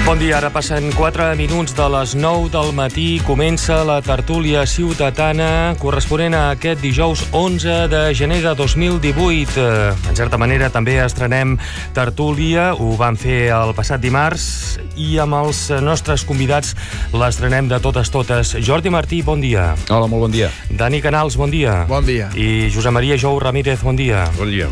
Bon dia, ara passen 4 minuts de les 9 del matí. Comença la tertúlia ciutadana corresponent a aquest dijous 11 de gener de 2018. En certa manera també estrenem tertúlia, ho vam fer el passat dimarts i amb els nostres convidats l'estrenem de totes. Jordi Martí, bon dia. Hola, molt bon dia. Dani Canals, bon dia. Bon dia. I Josep Maria Jou Ramírez, bon dia. Bon dia.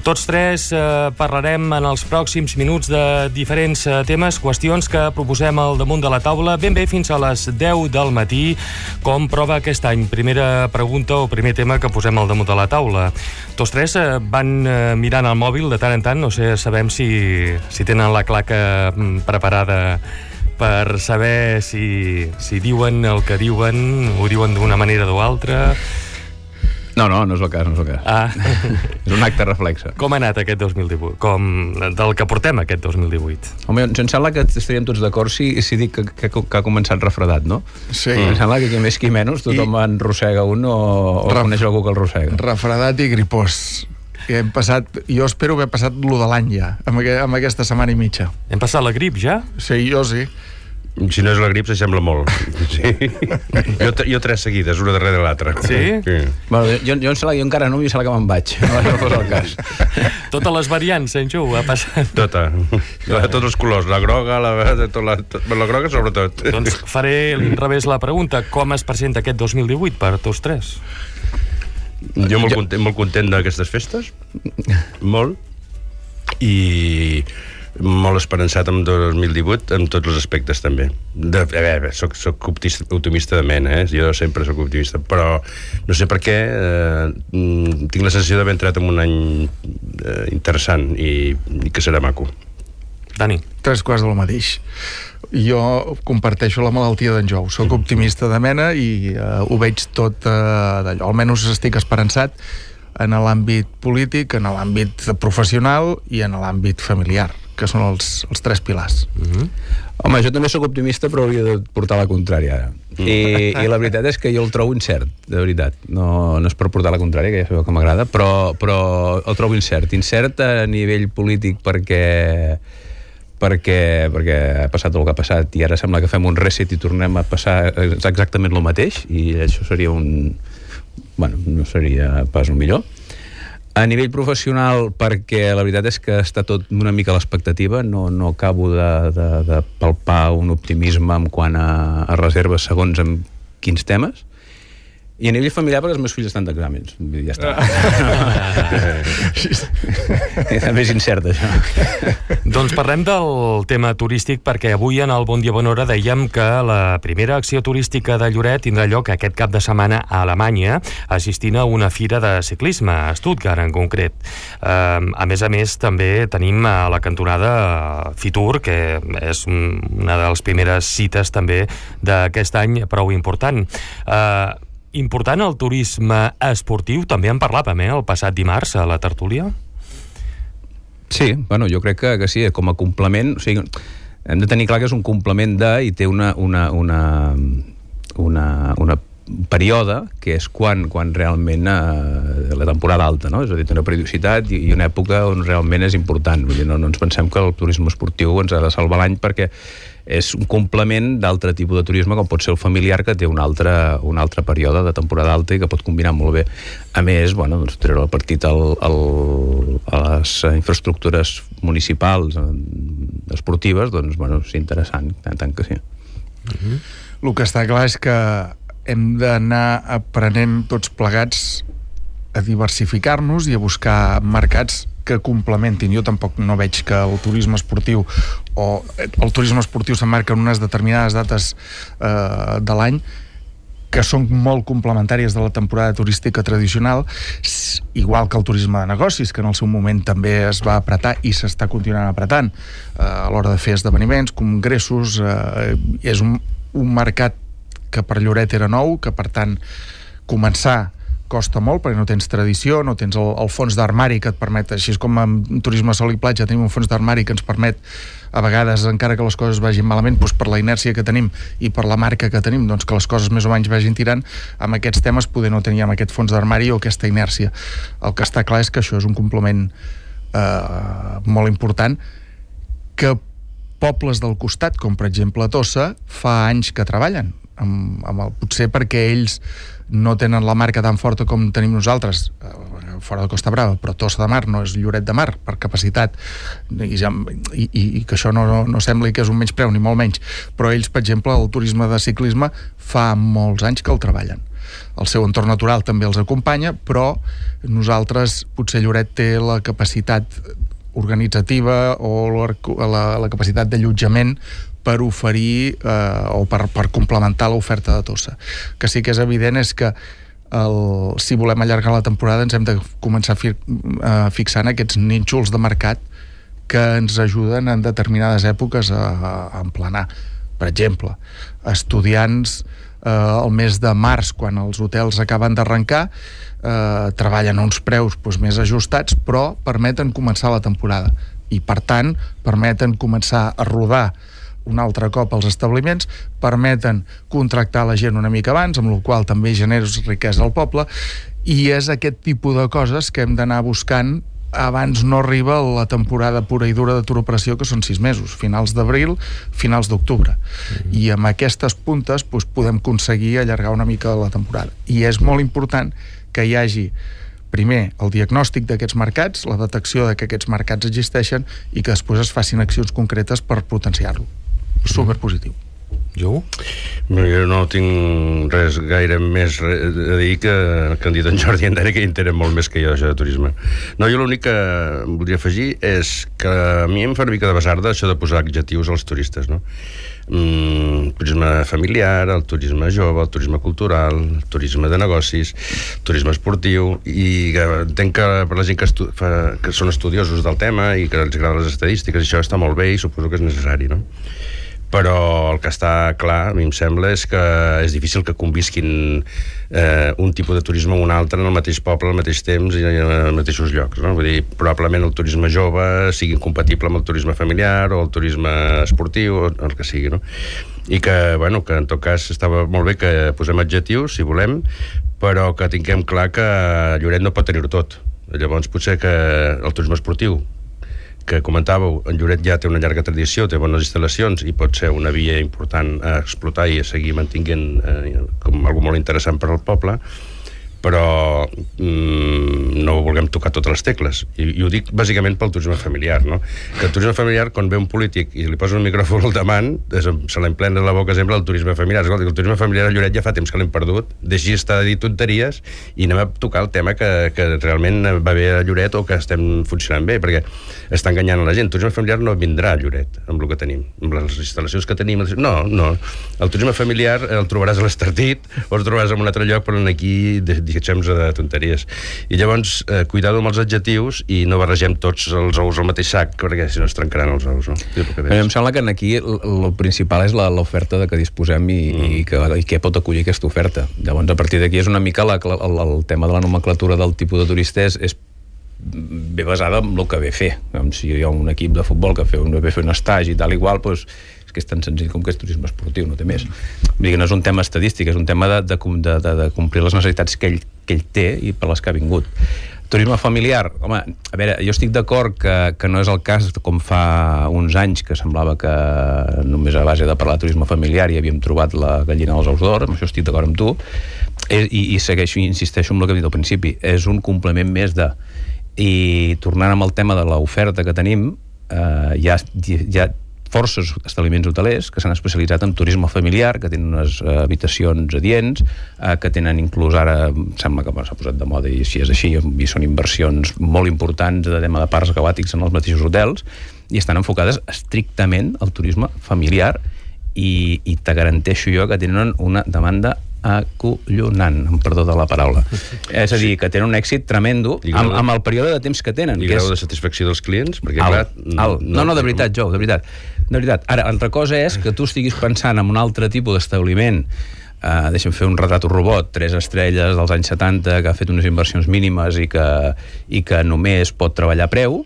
Tots tres parlarem en els pròxims minuts de diferents temes, qüestions que proposem al damunt de la taula ben bé fins a les 10 del matí, com prova aquest any. Primera pregunta o primer tema que posem al damunt de la taula. Tots tres van mirant el mòbil de tant en tant, no sé, sabem si tenen la claca preparada per saber si diuen el que diuen, ho diuen d'una manera o altra. No és el cas, És un acte reflexe. Com ha anat aquest 2018? Del que portem aquest 2018? Home, em sembla que estaríem tots d'acord si dic que ha començat refredat, no? Sí. Em sembla que qui més qui menys tothom enrossega un o coneix algú que el rossega. Refredat i gripós. Hem passat, jo espero haver passat lo de l'any ja, amb aquesta setmana i mitja. Hem passat la grip ja? Sí, jo sí. Si no és la grip, s'assembla molt. Sí. Jo 3 seguides, una darrere l'altra. Sí? Bueno, jo em sembla que jo encara no, i sembla que me'n vaig. No fos el cas. Totes les variants, Ju, ha passat. Tots els colors, la groga, la groga sobretot. Doncs faré l'inrevés la pregunta. Com es presenta aquest 2018 per tots tres? Jo molt content d'aquestes festes. Molt. I molt esperançat amb 2018 en tots els aspectes també. Soc optimista de mena, jo sempre soc optimista, però no sé per què tinc la sensació d'haver entrat en un any interessant i que serà maco. Dani. 3 quarts del mateix. Jo comparteixo la malaltia d'en Jou. Soc optimista de mena i ho veig tot d'allò. Almenys estic esperançat en l'àmbit polític, en l'àmbit professional i en l'àmbit familiar, que són els 3 pilars. Home, jo també sóc optimista, però hauria de portar la contrària ara. I la veritat és que jo el trobo incert, de veritat. No és per portar la contrària, que ja sabeu que m'agrada, però el trobo incert. Incert a nivell polític perquè ha passat el que ha passat i ara sembla que fem un reset i tornem a passar exactament el mateix, i això seria no seria pas el millor. A nivell professional, perquè la veritat és que està tot una mica a l'expectativa, no acabo de palpar un optimisme en quant a reserves segons amb quins temes. I a nivell familiar, perquè els meus fills estan d'exàmens. Ja està. També és incert, això. Doncs parlem del tema turístic, perquè avui en el Bon Dia Bona Hora dèiem que la primera acció turística de Lloret tindrà lloc aquest cap de setmana a Alemanya, assistint a una fira de ciclisme, a Stuttgart en concret. A més, també tenim a la cantonada Fitur, que és una de les primeres cites també d'aquest any prou important. Important el turisme esportiu, també en parlàvem, el passat dimarts a la tertúlia? Sí, jo crec que sí, com a complement, o sigui, hem de tenir clar que és un complement i té una període que és quan realment la temporada alta, no? És a dir, té una periodicitat i una època on realment és important. Vull dir, no ens pensem que el turisme esportiu ens ha de salvar l'any, perquè és un complement d'altre tipus de turisme, com pot ser el familiar, que té un altre període de temporada alta i que pot combinar molt bé. A més, treure el partit a les infraestructures municipals esportives, és interessant, tant que sí. El que està clar és que hem d'anar aprenent tots plegats a diversificar-nos i a buscar mercats que complementin. Jo tampoc no veig que el turisme esportiu s'emmarca en unes determinades dates de l'any que són molt complementàries de la temporada turística tradicional, igual que el turisme de negocis, que en el seu moment també es va apretar i s'està continuant apretant a l'hora de fer esdeveniments, congressos. És un mercat que per Lloret era nou, que per tant començar costa molt, perquè no tens tradició, no tens el fons d'armari que et permet, així com amb turisme sol i platja tenim un fons d'armari que ens permet a vegades, encara que les coses vagin malament, doncs per la inèrcia que tenim i per la marca que tenim, doncs que les coses més o menys vagin tirant. Amb aquests temes poder no teníem aquest fons d'armari o aquesta inèrcia. El que està clar és que això és un complement molt important que pobles del costat, com per exemple Tossa, fa anys que treballen, potser perquè ells no tenen la marca tan forta com tenim nosaltres fora de Costa Brava, però Tossa de Mar no és Lloret de Mar per capacitat i que això no sembli que és un menyspreu ni molt menys, però ells, per exemple, el turisme de ciclisme fa molts anys que el treballen. El seu entorn natural també els acompanya, però nosaltres, potser Lloret té la capacitat organitzativa o la capacitat d'allotjament per oferir o per complementar l'oferta de Tossa. Que sí que és evident és que si volem allargar la temporada ens hem de començar fixant aquests nínxols de mercat que ens ajuden en determinades èpoques a emplenar. Per exemple, estudiants el mes de març, quan els hotels acaben d'arrencar, treballen a uns preus més ajustats, però permeten començar la temporada i, per tant, permeten començar a rodar un altre cop els establiments, permeten contractar la gent una mica abans, amb la qual també generes riquesa al poble, i és aquest tipus de coses que hem d'anar buscant abans no arriba la temporada pura i dura de Tour Operació, que són 6 mesos, finals d'abril, finals d'octubre. I amb aquestes puntes podem aconseguir allargar una mica la temporada. I és molt important que hi hagi, primer, el diagnòstic d'aquests mercats, la detecció de que aquests mercats existeixen i que després es facin accions concretes per potenciar-lo. Superpositiu. Jo? Jo no tinc res gaire més a dir que han dit en Jordi i en Dani, que entenen molt més que jo això de turisme. No, jo l'únic que voldria afegir és que a mi em fa una mica de basarda això de posar adjectius als turistes, no? Turisme familiar, el turisme jove, el turisme cultural, el turisme de negocis, turisme esportiu, i entenc que per la gent que són estudiosos del tema i que els agraden les estadístiques, això està molt bé i suposo que és necessari, no? Però el que està clar, a mi em sembla, és que és difícil que convisquin un tipus de turisme amb un altre en el mateix poble, al mateix temps i en els mateixos llocs, no? Vull dir, probablement el turisme jove sigui incompatible amb el turisme familiar o el turisme esportiu o el que sigui, no? I que, bueno, que en tot cas estava molt bé que posem adjectius, si volem, però que tinguem clar que Lloret no pot tenir-ho tot. Llavors potser que el turisme esportiu, que comentàveu, en Lloret ja té una llarga tradició, té bones instal·lacions i pot ser una via important a explotar i a seguir mantinguent com algo molt interessant per al poble, però no vulguem tocar totes les tecles. I ho dic bàsicament pel turisme familiar, no? Que el turisme familiar, quan ve un polític i li posa un micròfon al davant, se l'emplena la boca sempre el turisme familiar. Escolta, el turisme familiar a Lloret ja fa temps que l'hem perdut, deixi estar de dir tonteries i anem a tocar el tema que realment va bé a Lloret o que estem funcionant bé, perquè està enganyant a la gent. El turisme familiar no vindrà a Lloret amb el que tenim, amb les instal·lacions que tenim. No. El turisme familiar el trobaràs a l'Estartit o el trobaràs en un altre lloc, però aquí deixem-nos de tonteries. I llavors, cuidado amb els adjectius i no barregem tots els ous al mateix sac, perquè si no es trencaran els ous, no? Em sembla que aquí el principal és l'oferta de què disposem i què pot acollir aquesta oferta. Llavors, a partir d'aquí és una mica el tema de la nomenclatura del tipus de turista és ve basada en el que ve fer. Si hi ha un equip de futbol que ve fer un estagi i tal igual, doncs que és tan senzill com que és turisme esportiu, no té més. Vull dir que no és un tema estadístic, és un tema de complir les necessitats que ell té i per les que ha vingut. Turisme familiar, home, a veure, jo estic d'acord que no és el cas com fa uns anys que semblava que només a base de parlar de turisme familiar hi havíem trobat la gallina dels ous d'or, amb això estic d'acord amb tu, i segueixo i insisteixo en el que he dit al principi, és un complement més de... I tornant amb el tema de l'oferta que tenim, hi ha forces establiments hotelers que s'han especialitzat en turisme familiar, que tenen unes habitacions adients, que tenen inclús ara, sembla que s'ha posat de moda i si és així, i són inversions molt importants de tema de parcs aquàtics en els mateixos hotels, i estan enfocades estrictament al turisme familiar i te garanteixo jo que tenen una demanda acollonant, amb perdó de la paraula. És a dir, que tenen un èxit tremendo amb el període de temps que tenen. I grau de satisfacció dels clients? Perquè, No, de veritat, Jou, de veritat. Ara, altra cosa és que tu estiguis pensant en un altre tipus d'establiment, deixa'm fer un retrat robot, 3 estrelles dels anys 70, que ha fet unes inversions mínimes i que només pot treballar a preu,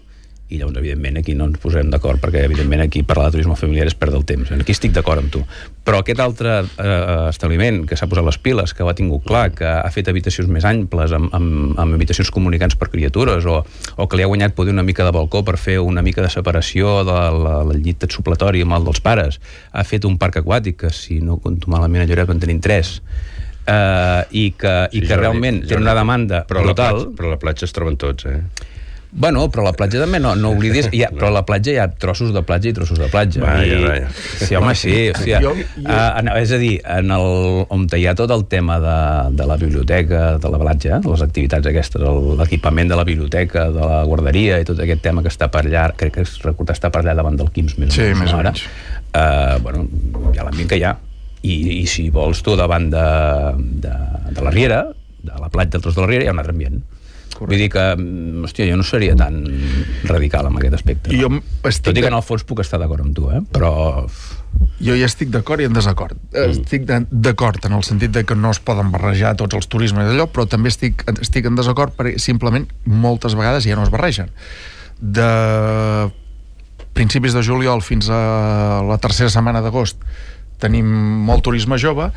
i llavors, evidentment, aquí no ens posarem d'acord, perquè, evidentment, aquí parlar de turisme familiar és perdre el temps. Aquí estic d'acord amb tu. Però aquest altre establiment que s'ha posat les piles, que ho ha tingut clar, que ha fet habitacions més amples, amb habitacions comunicants per criatures, o que li ha guanyat poder una mica de balcó per fer una mica de separació del llit supletori amb el dels pares, ha fet un parc aquàtic, que si no compto malament a Lloret en tenim 3, i que realment té una demanda brutal. Però a la platja es troben tots, Bueno, però la platja també no oblidis, però a la platja hi ha trossos de platja i trossos de platja. Vaja. Sí, home, sí. És a dir, on hi ha tot el tema de la biblioteca, de la platja, les activitats aquestes, l'equipament de la biblioteca, de la guarderia i tot aquest tema que està per allà, crec que està per allà davant del Quims, més o menys. Bueno, hi ha l'ambient que hi ha. I si vols tu davant de la Riera, de la platja del Tros de la Riera, hi ha un altre ambient. Correcte. Vull dir que, hòstia, jo no seria tan radical en aquest aspecte. No? Tot i que en el fons puc estar d'acord amb tu, però... Jo hi estic d'acord i en desacord. Estic d'acord en el sentit de que no es poden barrejar tots els turismes d'allò, però també estic en desacord perquè simplement moltes vegades ja no es barregen. De principis de juliol fins a la tercera setmana d'agost tenim molt turisme jove,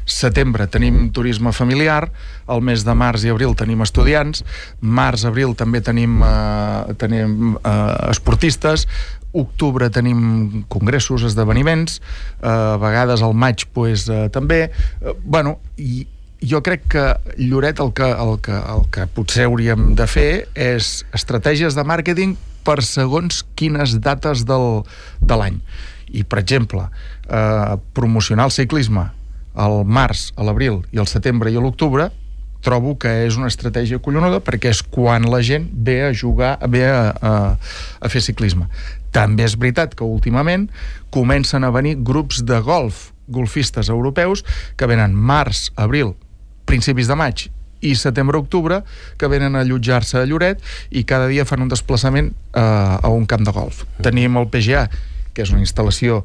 setembre tenim turisme familiar, el mes de març i abril tenim estudiants, març-abril també tenim esportistes, octubre tenim congressos, esdeveniments, a vegades al maig també. I jo crec que Lloret el que potser hauríem de fer és estratègies de màrqueting per segons quines dates de l'any. I, per exemple, promocionar el ciclisme al març, a l'abril i al setembre i a l'octubre trobo que és una estratègia collonuda perquè és quan la gent ve a jugar, ve a fer ciclisme. També és veritat que últimament comencen a venir grups de golfistes europeus que venen març, abril, principis de maig i setembre-octubre, que venen a allotjar-se a Lloret i cada dia fan un desplaçament a un camp de golf. Tenim el PGA, que és una instal·lació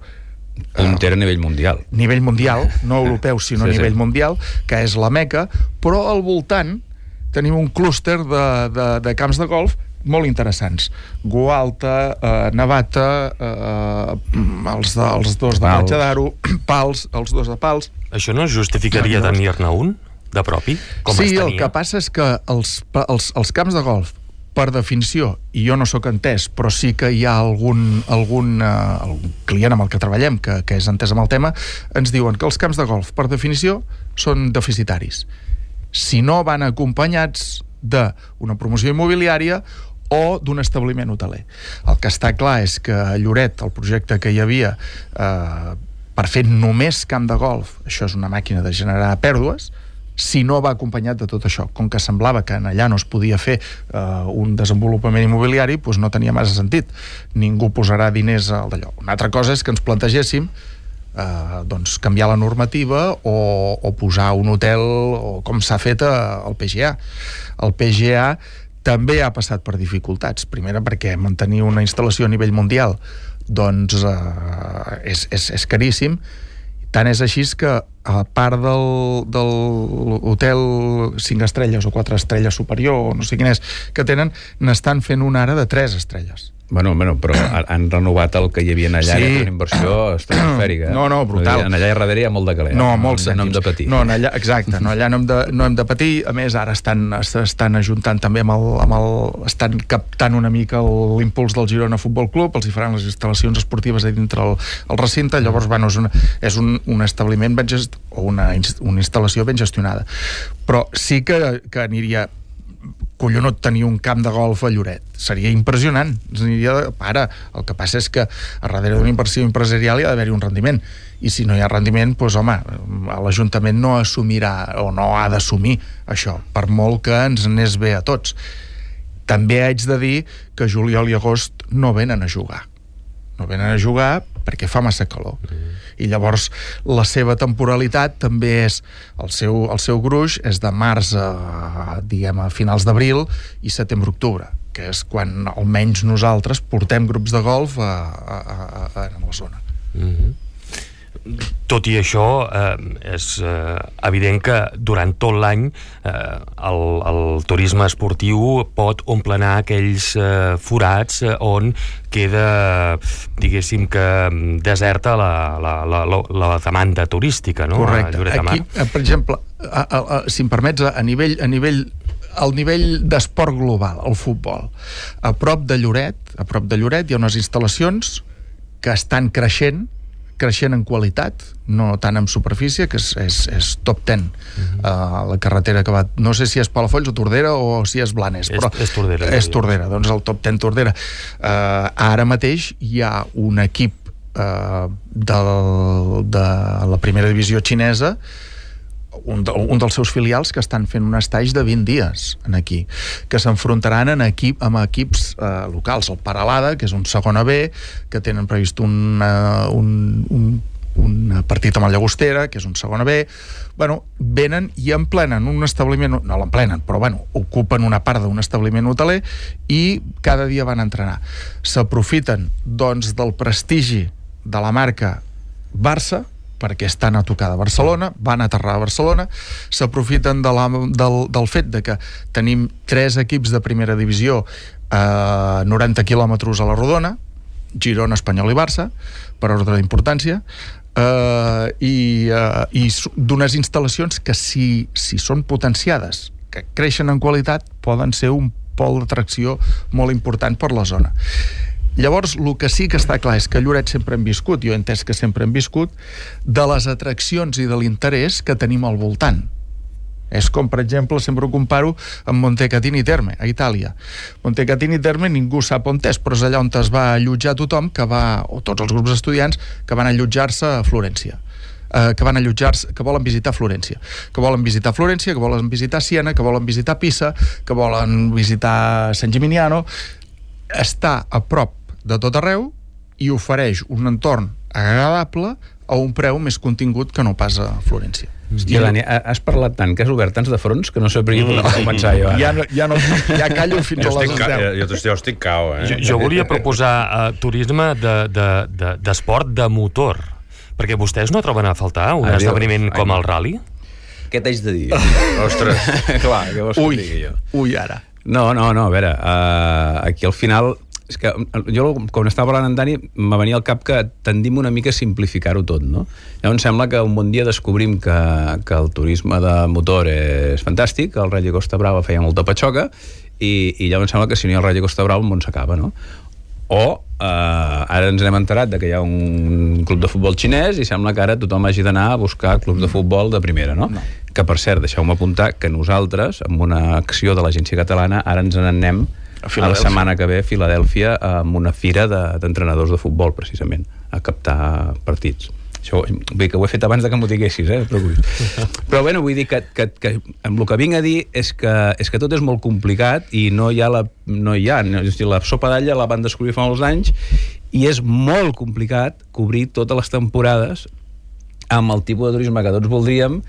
puntera a nivell mundial. Nivell mundial, no europeu, sinó a nivell mundial, que és la Meca, però al voltant tenim un clúster de camps de golf molt interessants. Gualta, Navata, els dos de Platja d'Aro, Pals, els dos de Pals. Això no justificaria tenir-ne un de propi? Sí, el que passa és que els camps de golf, per definició, i jo no sóc entès, però sí que hi ha algun client amb el que treballem que és entès amb el tema, ens diuen que els camps de golf, per definició, són deficitaris. Si no van acompanyats d'una promoció immobiliària o d'un establiment hoteler. El que està clar és que a Lloret, el projecte que hi havia per fer només camp de golf, això és una màquina de generar pèrdues, si no va acompanyat de tot això. Com que semblava que allà no es podia fer un desenvolupament immobiliari, doncs no tenia massa sentit. Ningú posarà diners al d'allò. Una altra cosa és que ens plantegéssim canviar la normativa o posar un hotel, o com s'ha fet al PGA. El PGA també ha passat per dificultats. Primera, perquè mantenir una instal·lació a nivell mundial doncs és caríssim. Tant és així que a part del hotel 5 estrelles o 4 estrelles superior, o no sé quin és, que tenen, n'estan fent una ara de 3 estrelles. Bueno, però han renovat el que hi havia allà, sí. Una inversió estratosfèrica. No, brutal. Allà darrere hi ha molt de caler. No, molts cèntims. No hem de patir. No, allà, exacte, allà no hem de patir. A més, ara estan ajuntant també estan captant una mica l'impuls del Girona Futbol Club, els hi faran les instal·lacions esportives a dintre el recinte. Llavors, és un establiment o una instal·lació ben gestionada. Però sí que aniria collonut tenir un camp de golf a Lloret. Seria impressionant. Ara, el que passa és que a darrere d'una inversió empresarial hi ha d'haver-hi un rendiment. I si no hi ha rendiment, doncs, home, l'Ajuntament no assumirà o no ha d'assumir això, per molt que ens n'és bé a tots. També haig de dir que juliol i agost no venen a jugar. No venen a jugar perquè fa massa calor. I llavors la seva temporalitat també és el seu gruix és de març a finals d'abril i setembre-octubre, que és quan almenys nosaltres portem grups de golf a la zona. Tot i això, és evident que durant tot l'any el turisme esportiu pot omplenar aquells forats on queda, diguéssim, que deserta la demanda turística, no? Correcte. Aquí, per exemple, si em permets, al nivell d'esport global, el futbol, a prop de Lloret hi ha unes instal·lacions que estan creixent en qualitat, no tant en superfície, que és top 10. La carretera que va... No sé si és Palafolls o Tordera o si és Blanes, però... És Tordera. És Tordera, doncs el top 10 Tordera. Ara mateix hi ha un equip de la primera divisió xinesa, un dels seus filials, que estan fent un estatge de 20 dies aquí, que s'enfrontaran amb equips locals, el Paralada, que és un segona B, que tenen previst un partit amb el Llagostera, que és un segona B. Venen i emplenen un establiment, no l'emplenen, però ocupen una part d'un establiment hoteler i cada dia van a entrenar. S'aprofiten, doncs, del prestigi de la marca Barça, perquè estan a tocar de Barcelona, van aterrar a Barcelona, s'aprofiten del fet de que tenim 3 equips de primera divisió a 90 quilòmetres a la rodona, Girona, Espanyol i Barça, per ordre d'importància, i d'unes instal·lacions que si són potenciades, que creixen en qualitat, poden ser un pol d'atracció molt important per la zona. Llavors, el que sí que està clar és que a Lloret sempre hem viscut, jo he entès que sempre hem viscut, de les atraccions i de l'interès que tenim al voltant. És com, per exemple, sempre ho comparo amb Montecatini Terme, a Itàlia. Montecatini Terme ningú sap on és, però és allà on es va allotjar tothom, o tots els grups estudiants, que van allotjar-se a Florència. Que volen visitar Florència. Que volen visitar Siena, que volen visitar Pisa, que volen visitar San Gimignano. Està a prop de tot arreu i ofereix un entorn agradable a un preu més contingut que no pas a Florència. Hòstia, Dani, has parlat tant que has obert tants de fronts que no sé per què podem començar jo. Ja callo fins a les 10. Jo estic cao, Jo volia proposar turisme d'esport de motor, perquè vostès no troben a faltar un esdeveniment com el rally? Què t'haig de dir? Ostres. Clar, què vols que et digui jo? Ui, ara. No, a veure, aquí al final... És que jo, quan estava parlant amb Dani, me venia al cap que tendim una mica a simplificar-ho tot, no? Llavors sembla que un bon dia descobrim que el turisme de motor és fantàstic, el Rally Costa Brava feia molta patxoca, i llavors sembla que si no hi ha el Rally Costa Brava el món s'acaba, no? O ara ens hem enterat que hi ha un club de futbol xinès i sembla que ara tothom hagi d'anar a buscar clubs de futbol de primera, no? Que, per cert, deixeu-me apuntar que nosaltres, amb una acció de l'Agència Catalana, ara ens n'anem a la setmana que ve a Filadèlfia amb una fira d'entrenadors de futbol, precisament, a captar partits. Això, vull dir que ho he fet abans de que m'ho diguessis, però bueno, vull dir que amb el que vinc a dir és que tot és molt complicat i no hi ha la sopa d'alla la van descobrir fa molts anys i és molt complicat cobrir totes les temporades amb el tipus de turisme que tots voldríem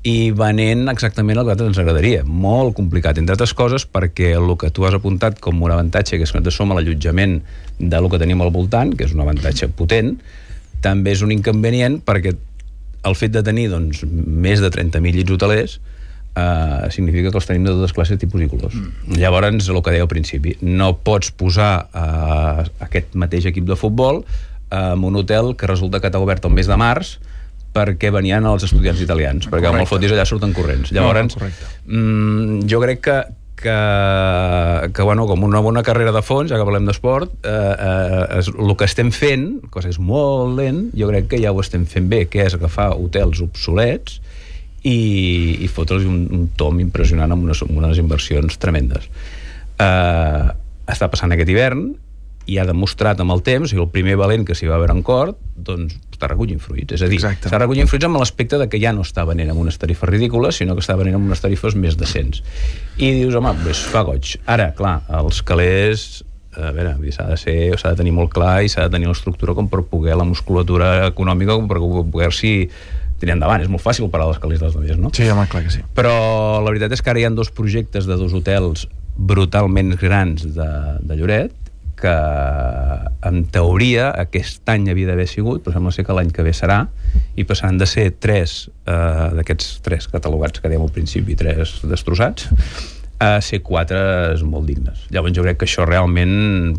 i venent exactament el que a nosaltres ens agradaria. Molt complicat, entre altres coses, perquè el que tu has apuntat com un avantatge, que és que nosaltres som a l'allotjament del que tenim al voltant, que és un avantatge potent, també és un inconvenient perquè el fet de tenir més de 30.000 llits hotelers significa que els tenim de totes classes, tipus i colors. Llavors, el que deia al principi, no pots posar aquest mateix equip de futbol en un hotel que resulta que t'ha obert el mes de març perquè venien els estudiants italians, perquè amb el fotis allà surten corrents. Llavors, jo crec que bueno, com una bona carrera de fons, ja que parlem d'esport, el que estem fent, que és molt lent, jo crec que ja ho estem fent bé, que és agafar hotels obsolets i fotre'ls un tom impressionant amb unes inversions tremendes. Està passant aquest hivern i ha demostrat amb el temps, i el primer valent que s'hi va veure en Cort, doncs està recollint fruits. És a dir, està recollint fruits amb l'aspecte de que ja no està venent amb unes tarifes ridícules, sinó que està venent amb unes tarifes més decents. I dius, home, fa goig. Ara, clar, els calés, a veure, s'ha de tenir molt clar i s'ha de tenir l'estructura com per poder, la musculatura econòmica, com per poder-s'hi tirar endavant. És molt fàcil parar els calés dels altres, no? Sí, home, clar que sí. Però la veritat és que ara hi ha 2 projectes de 2 hotels brutalment grans de Lloret que en teoria aquest any havia d'haver sigut, però sembla ser que l'any que ve serà, i passaran de ser 3 d'aquests 3 catalogats que dèiem al principi, 3 destrossats, a ser 4 molt dignes. Llavors jo crec que això realment,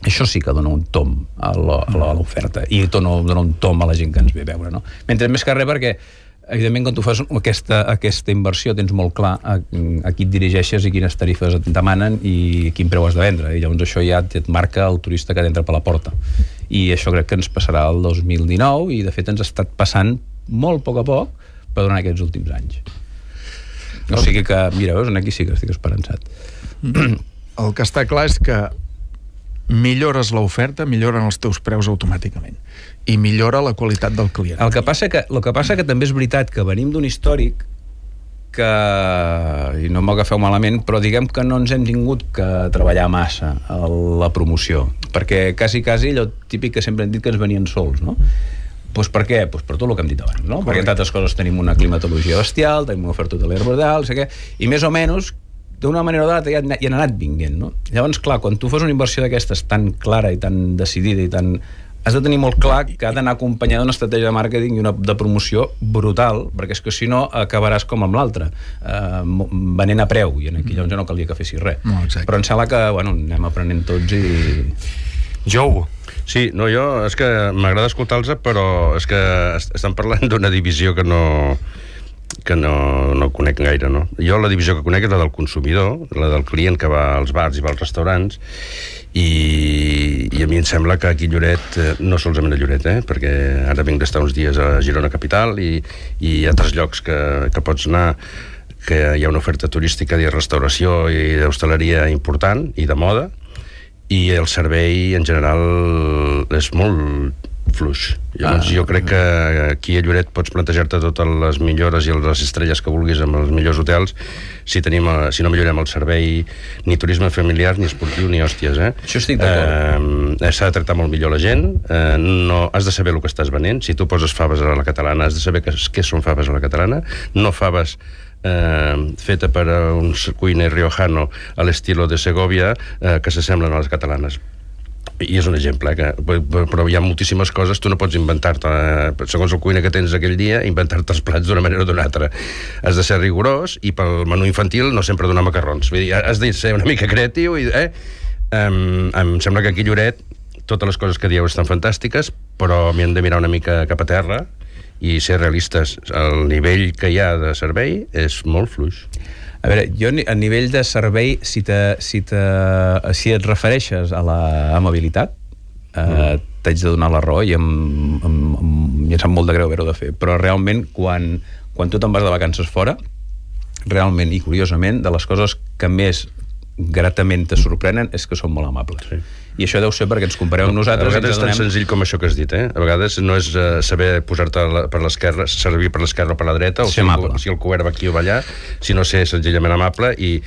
això sí que dona un tom a l'oferta, i dona un tom a la gent que ens ve a veure, no? Mentre més que res, perquè evidentment, quan tu fas aquesta inversió tens molt clar a qui et dirigeixes i quines tarifes et demanen i quin preu has de vendre, i llavors això ja et marca el turista que t'entra per la porta. I això crec que ens passarà el 2019 i de fet ens ha estat passant molt a poc per durant aquests últims anys. O sigui que, mira, veus, aquí sí que estic esperançat. El que està clar és que millores l'oferta, milloren els teus preus automàticament i millora la qualitat del client. El que passa que també és veritat que venim d'un històric que, i no m'agafeu malament, però diguem que no ens hem tingut que treballar massa a la promoció, perquè quasi allò típic que sempre hem dit que ens venien sols, no? Doncs per què? Doncs per tot el que hem dit abans, no? Perquè entre altres coses tenim una climatologia bestial, tenim una oferta hotelera brutal, i més o menys d'una manera o d'altra ja han anat vinguent, no? Llavors, clar, quan tu fas una inversió d'aquestes tan clara i tan decidida i tan... has de tenir molt clar que ha d'anar acompanyada d'una estratègia de màrqueting i una de promoció brutal, perquè és que si no acabaràs com amb l'altre, venent a preu, i aquí llavors ja no calia que fessis res. No, però em sembla que, bueno, anem aprenent tots i... Jou. Sí, no, jo, és que m'agrada escoltar-los, però és que estan parlant d'una divisió que no conec gaire, no? Jo la divisió que conec és la del consumidor, la del client que va als bars i va als restaurants, i a mi em sembla que aquí a Lloret, no solament a Lloret, perquè ara vinc d'estar uns dies a Girona Capital i hi ha altres llocs que pots anar, que hi ha una oferta turística de restauració i d'hostaleria important i de moda, i el servei en general és molt fluix. Llavors, jo crec que aquí a Lloret pots plantejar-te totes les millores i les estrelles que vulguis amb els millors hotels si no millorem el servei ni turisme familiar, ni esportiu, ni hòsties. Això estic d'acord. S'ha de tractar molt millor la gent, no, has de saber el que estàs venent. Si tu poses faves a la catalana, has de saber què són faves a la catalana, no faves feta per un cuiner riojano a l'estilo de Segovia que s'assemblen a les catalanes. I és un exemple, però hi ha moltíssimes coses, tu no pots inventar-te, segons el cuiner que tens aquell dia, inventar-te els plats d'una manera o d'una altra. Has de ser rigorós, i pel menú infantil no sempre donar macarrons. Vull dir, has de ser una mica creatiu, em sembla que aquí a Lloret totes les coses que dieu estan fantàstiques, però m'hi hem de mirar una mica cap a terra i ser realistes. El nivell que hi ha de servei és molt fluix. A veure, jo a nivell de servei, si et refereixes a l'amabilitat, t'haig de donar la raó i em sap molt de greu haver-ho de fer, però realment quan tu te'n vas de vacances fora, realment i curiosament, de les coses que més gratament te sorprenen és que són molt amables. Sí. I això deu ser perquè ens compareu amb nosaltres. A vegades és tan senzill com això que has dit, A vegades no és saber posar-te per l'esquerra, servir per l'esquerra o per la dreta, o si el cobert va aquí o va allà, sinó ser senzillament amable i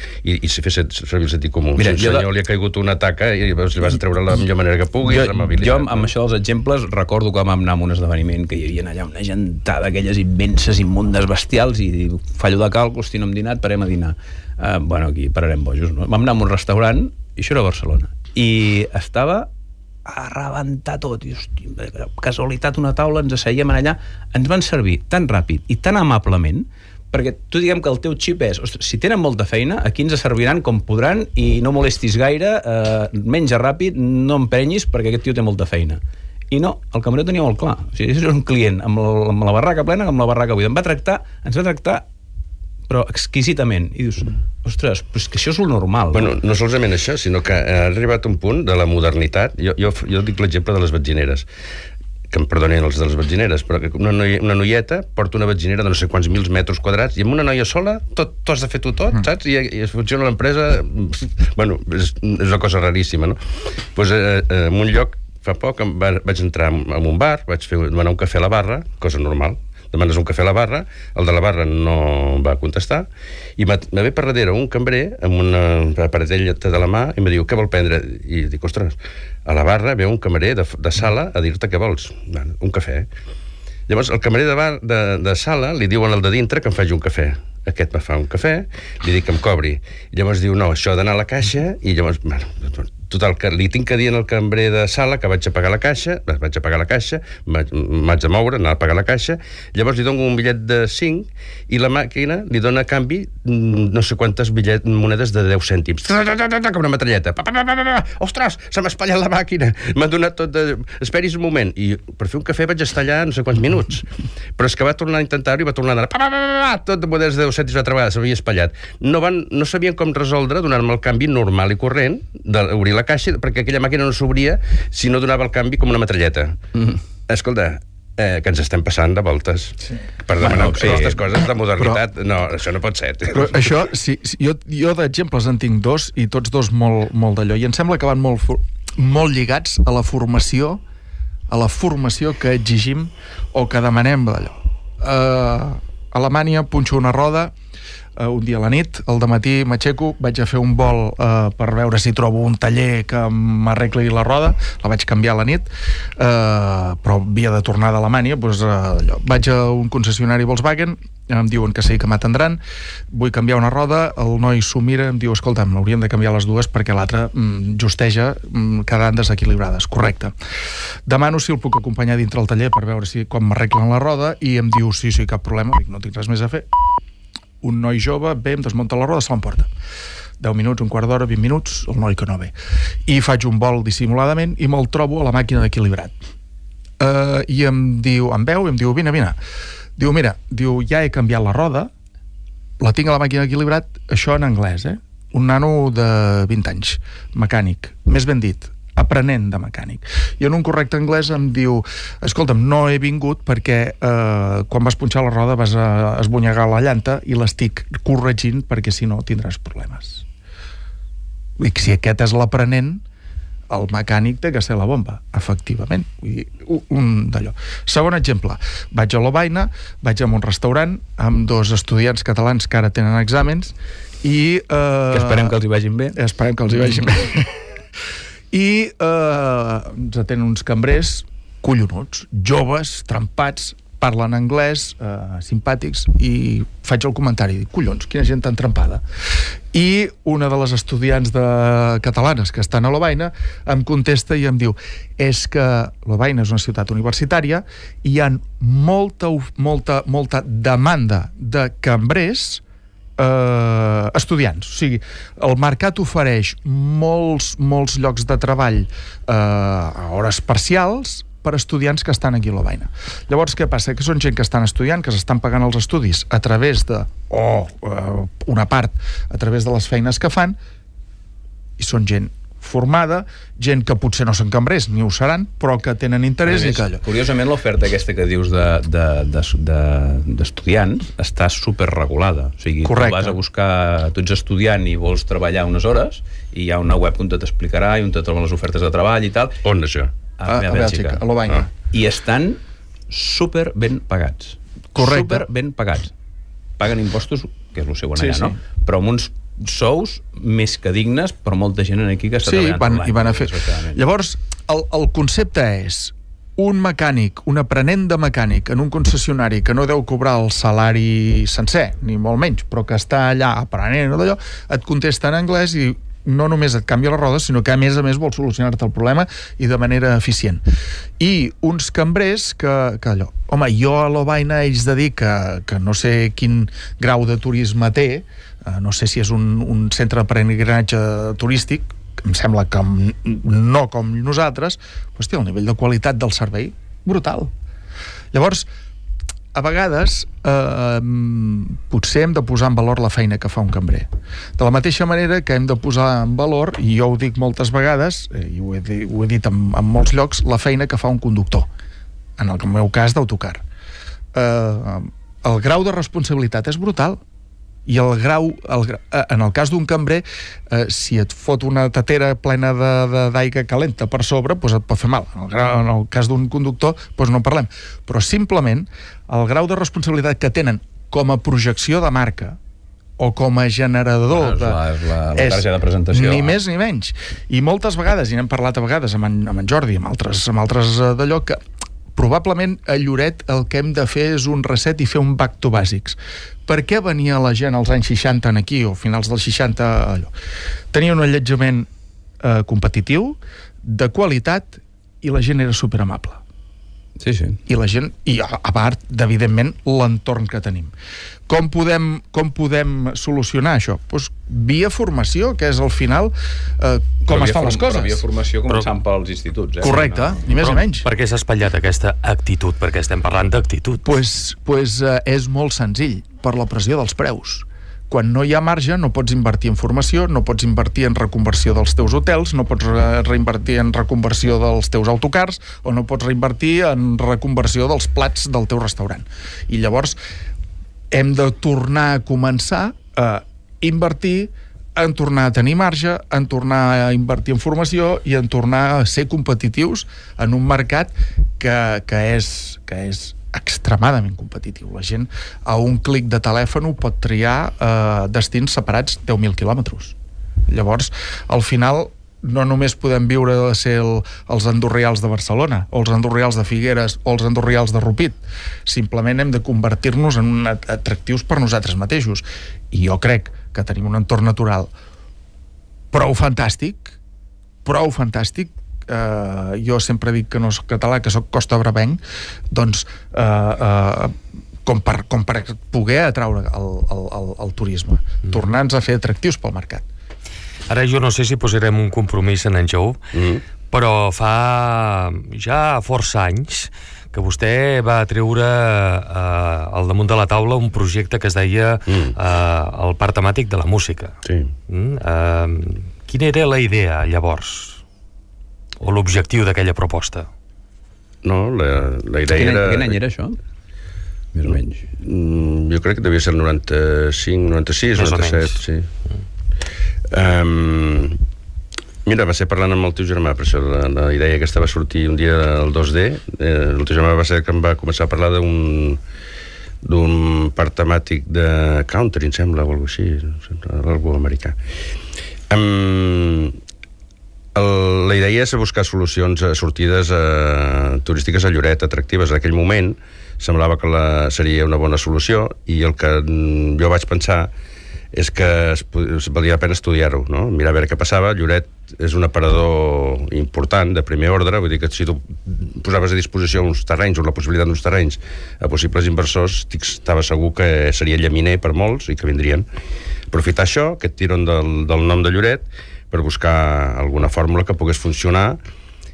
fer servir el sentit comú. Mira, si un senyor li ha caigut una taca i li vas a treure la millor manera que puguis, amabilitat. Jo, amb això dels exemples, recordo que vam anar a un esdeveniment que hi havia allà una gentada d'aquelles immenses, immundes, bestials, i fallo de càlcul, no hem dinat, parem a dinar. Aquí pararem bojos, no? Vam anar a un restaurant, i això era a Barcelona, i estava a rebentar tot, i hòstia, casualitat, una taula, ens asseiem allà, ens van servir tan ràpid i tan amablement, perquè tu diguem que el teu xip és, ostres, si tenen molta feina, aquí ens serviran com podran i no molestis gaire, menja ràpid, no emprenyis perquè aquest tio té molta feina. I no, el cambrer tenia molt clar. O sigui, és un client amb la barraca plena, amb la barraca buida. Ens va tractar però exquisitament, i dius, ostres, però és que això és el normal. Bueno, no solament això, sinó que ha arribat un punt de la modernitat. Jo dic l'exemple de les batzineres, que em perdonin els de les batzineres, però que una noieta porta una batzinera de no sé quants mils metres quadrats, i amb una noia sola tu has de fer tot, saps? I funciona l'empresa. Bueno, és una cosa raríssima, no? Doncs en un lloc, fa poc, vaig entrar en un bar, vaig demanar un cafè a la barra, cosa normal. Demanes un cafè a la barra, el de la barra no va contestar, i me ve per darrere un cambrer amb una aparatelleta de la mà i me diu, què vol prendre? I dic, ostres, a la barra ve un cambrer de sala a dir-te què vols. Un cafè. Llavors, el cambrer de sala li diuen al de dintre que em faci un cafè. Aquest me fa un cafè, li dic que em cobri. I llavors diu, no, això ha d'anar a la caixa, i llavors, Total, que li tinc que dir al cambrer de sala que vaig a pagar la caixa, m'haig de moure, anar a pagar la caixa, llavors li dono un bitllet de 5 i la màquina li dona a canvi no sé quantes monedes de 10 cèntims. Com una metralleta. Ostres, se m'ha espatllat la màquina. M'ha donat tot de... Esperis un moment. I per fer un cafè vaig estar allà no sé quants minuts. Però és que va tornar a intentar-ho i va tornar a anar... Tot de monedes de 10 cèntims altra vegada, s'havia espatllat. No sabien com resoldre donar-me el canvi normal i corrent, d'obrir la caixa, perquè aquella màquina no s'obria si no donava el canvi com una metralleta. Escolta, que ens estem passant de voltes per demanar aquestes coses de modernitat. No, això no pot ser. Però això, jo d'exemples en tinc dos, i tots dos molt d'allò, i em sembla que van molt lligats a la formació que exigim o que demanem d'allò. A Alemanya punxo una roda un dia a la nit, al dematí m'aixeco, vaig a fer un vol per veure si trobo un taller que m'arregli la roda, la vaig canviar a la nit, però havia de tornar d'Alemanya, doncs, vaig a un concessionari Volkswagen, em diuen que sí, que m'atendran, vull canviar una roda, el noi s'ho mira, em diu, escolta'm, hauríem de canviar les dues perquè l'altra justeja quedant desequilibrades. Correcte. Demano si el puc acompanyar dintre el taller per veure si com m'arreglen la roda, i em diu, sí, cap problema, dic, no tinc res més a fer. Un noi jove ve, em desmunta la roda, se l'emporta. 10 minuts, un quart d'hora, 20 minuts, el noi que no ve. I faig un vol dissimuladament i me'l trobo a la màquina d'equilibrat. I em diu, em veu, i em diu, vine. Diu, mira, ja he canviat la roda, la tinc a la màquina d'equilibrat, això en anglès, un nano de 20 anys, mecànic, més ben dit, aprenent de mecànic. I en un correcte anglès em diu, escolta'm, no he vingut perquè quan vas punxar la roda vas esbonyegar la llanta i l'estic corregint perquè si no tindràs problemes. Dic, si aquest és l'aprenent, el mecànic té que ser la bomba, efectivament. Un d'allò. Segon exemple, vaig a Lovaina, vaig a un restaurant amb dos estudiants catalans que ara tenen exàmens i... que esperem que els hi vagin bé. Esperem que els hi vagin bé. I ens atenen uns cambrers collonuts, joves, trempats, parlen anglès, simpàtics, i faig el comentari, dic, collons, quina gent tan trempada. I una de les estudiants catalanes que estan a Lovaina em contesta i em diu, és que Lovaina és una ciutat universitària i hi ha molta demanda de cambrers estudiants. O sigui, el mercat ofereix molts llocs de treball a hores parcials per estudiants que estan aquí a Lovaina. Llavors, què passa? Que són gent que estan estudiant, que s'estan pagant els estudis a través de, una part, a través de les feines que fan, i són gent formada, gent que potser no són cambrers, ni ho seran, però que tenen interès i que allò. Curiosament, l'oferta aquesta que dius d'estudiants està superregulada. O sigui, correcte. Tu vas a buscar, tu ets estudiant i vols treballar unes hores, i hi ha una web on t'explicarà i on te troben les ofertes de treball i tal. On, això? A Bèlgica, a Lovaina. I estan super ben pagats. Correcte. Super ben pagats. Paguen impostos, que és el seu allà, no? Però amb uns sous més que dignes per molta gent aquí que està treballant. Sí, i van a fer. Llavors, el concepte és un mecànic, un aprenent de mecànic en un concessionari que no deu cobrar el salari sencer, ni molt menys, però que està allà aprenent o d'allò, et contesta en anglès i no només et canvia les rodes, sinó que a més vol solucionar-te el problema i de manera eficient. I uns cambrers que allò... Home, jo a Lovaina ells de dir que no sé quin grau de turisme té, no sé si és un centre de peregrinatge turístic, em sembla que no com nosaltres, doncs té el nivell de qualitat del servei brutal. Llavors, a vegades potser hem de posar en valor la feina que fa un cambrer. De la mateixa manera que hem de posar en valor, i jo ho dic moltes vegades, i ho he dit en molts llocs, la feina que fa un conductor, en el meu cas d'autocar. El grau de responsabilitat és brutal. I el grau, en el cas d'un cambrer, si et fot una tatera plena d'aigua calenta per sobre, doncs et pot fer mal. En el cas d'un conductor, doncs no en parlem. Però simplement el grau de responsabilitat que tenen com a projecció de marca o com a generador la targeta de presentació. Ni més ni menys. I moltes vegades, i n'hem parlat a vegades amb en Jordi, amb altres d'allò, que probablement a Lloret el que hem de fer és un reset i fer un back to bàsics. Per què venia la gent als anys 60 aquí, o finals dels 60, allò? Tenia un allotjament competitiu, de qualitat, i la gent era superamable. Sí. I la gent, i a part, evidentment, l'entorn que tenim. Com podem solucionar això? Doncs via formació, que és al final com es fan les coses. Però via formació començant pels instituts. Correcte, ni més ni menys. Per què s'ha espatllat aquesta actitud? Perquè estem parlant d'actitud. Pues és molt senzill, per la pressió dels preus. Quan no hi ha marge, no pots invertir en formació, no pots invertir en reconversió dels teus hotels, no pots reinvertir en reconversió dels teus autocars, o no pots reinvertir en reconversió dels plats del teu restaurant. I llavors hem de tornar a començar a invertir, en tornar a tenir marge, en tornar a invertir en formació i en tornar a ser competitius en un mercat que és extremadament competitiu. La gent a un clic de telèfon pot triar destins separats 10.000 quilòmetres. Llavors, al final, no només podem viure de ser els Andorrials de Barcelona, o els Andorrials de Figueres, o els Andorrials de Rupit. Simplement hem de convertir-nos en atractius per nosaltres mateixos. I jo crec que tenim un entorn natural prou fantàstic, jo sempre dic que no soc català, que soc costa-bravenc, doncs com per poder atraure el turisme, tornar-nos a fer atractius pel mercat. Ara jo no sé si posarem un compromís en Jou, però fa ja força anys que vostè va treure al damunt de la taula un projecte que es deia el Parc Temàtic de la Música. Sí. Quina era la idea, llavors? O l'objectiu d'aquella proposta? No, la idea era... Quin any era això? Més o menys. Jo crec que devia ser el 95, 96, 97, sí. Mira, va ser parlant amb el teu germà, per això la idea aquesta va sortir un dia al 2D. El teu germà va ser que em va començar a parlar d'un parc temàtic de country, em sembla, o alguna cosa així, algú americà. La idea és buscar solucions, sortides turístiques a Lloret, atractives. En aquell moment semblava que seria una bona solució, i el que jo vaig pensar és que valia la pena estudiar-ho, no? Mirar a veure què passava. Lloret és un aparador important, de primer ordre, vull dir que si tu posaves a disposició uns terrenys, o la possibilitat d'uns terrenys a possibles inversors, estava segur que seria llaminer per molts i que vindrien. Aprofitar això, aquest tirón del nom de Lloret, per buscar alguna fórmula que pogués funcionar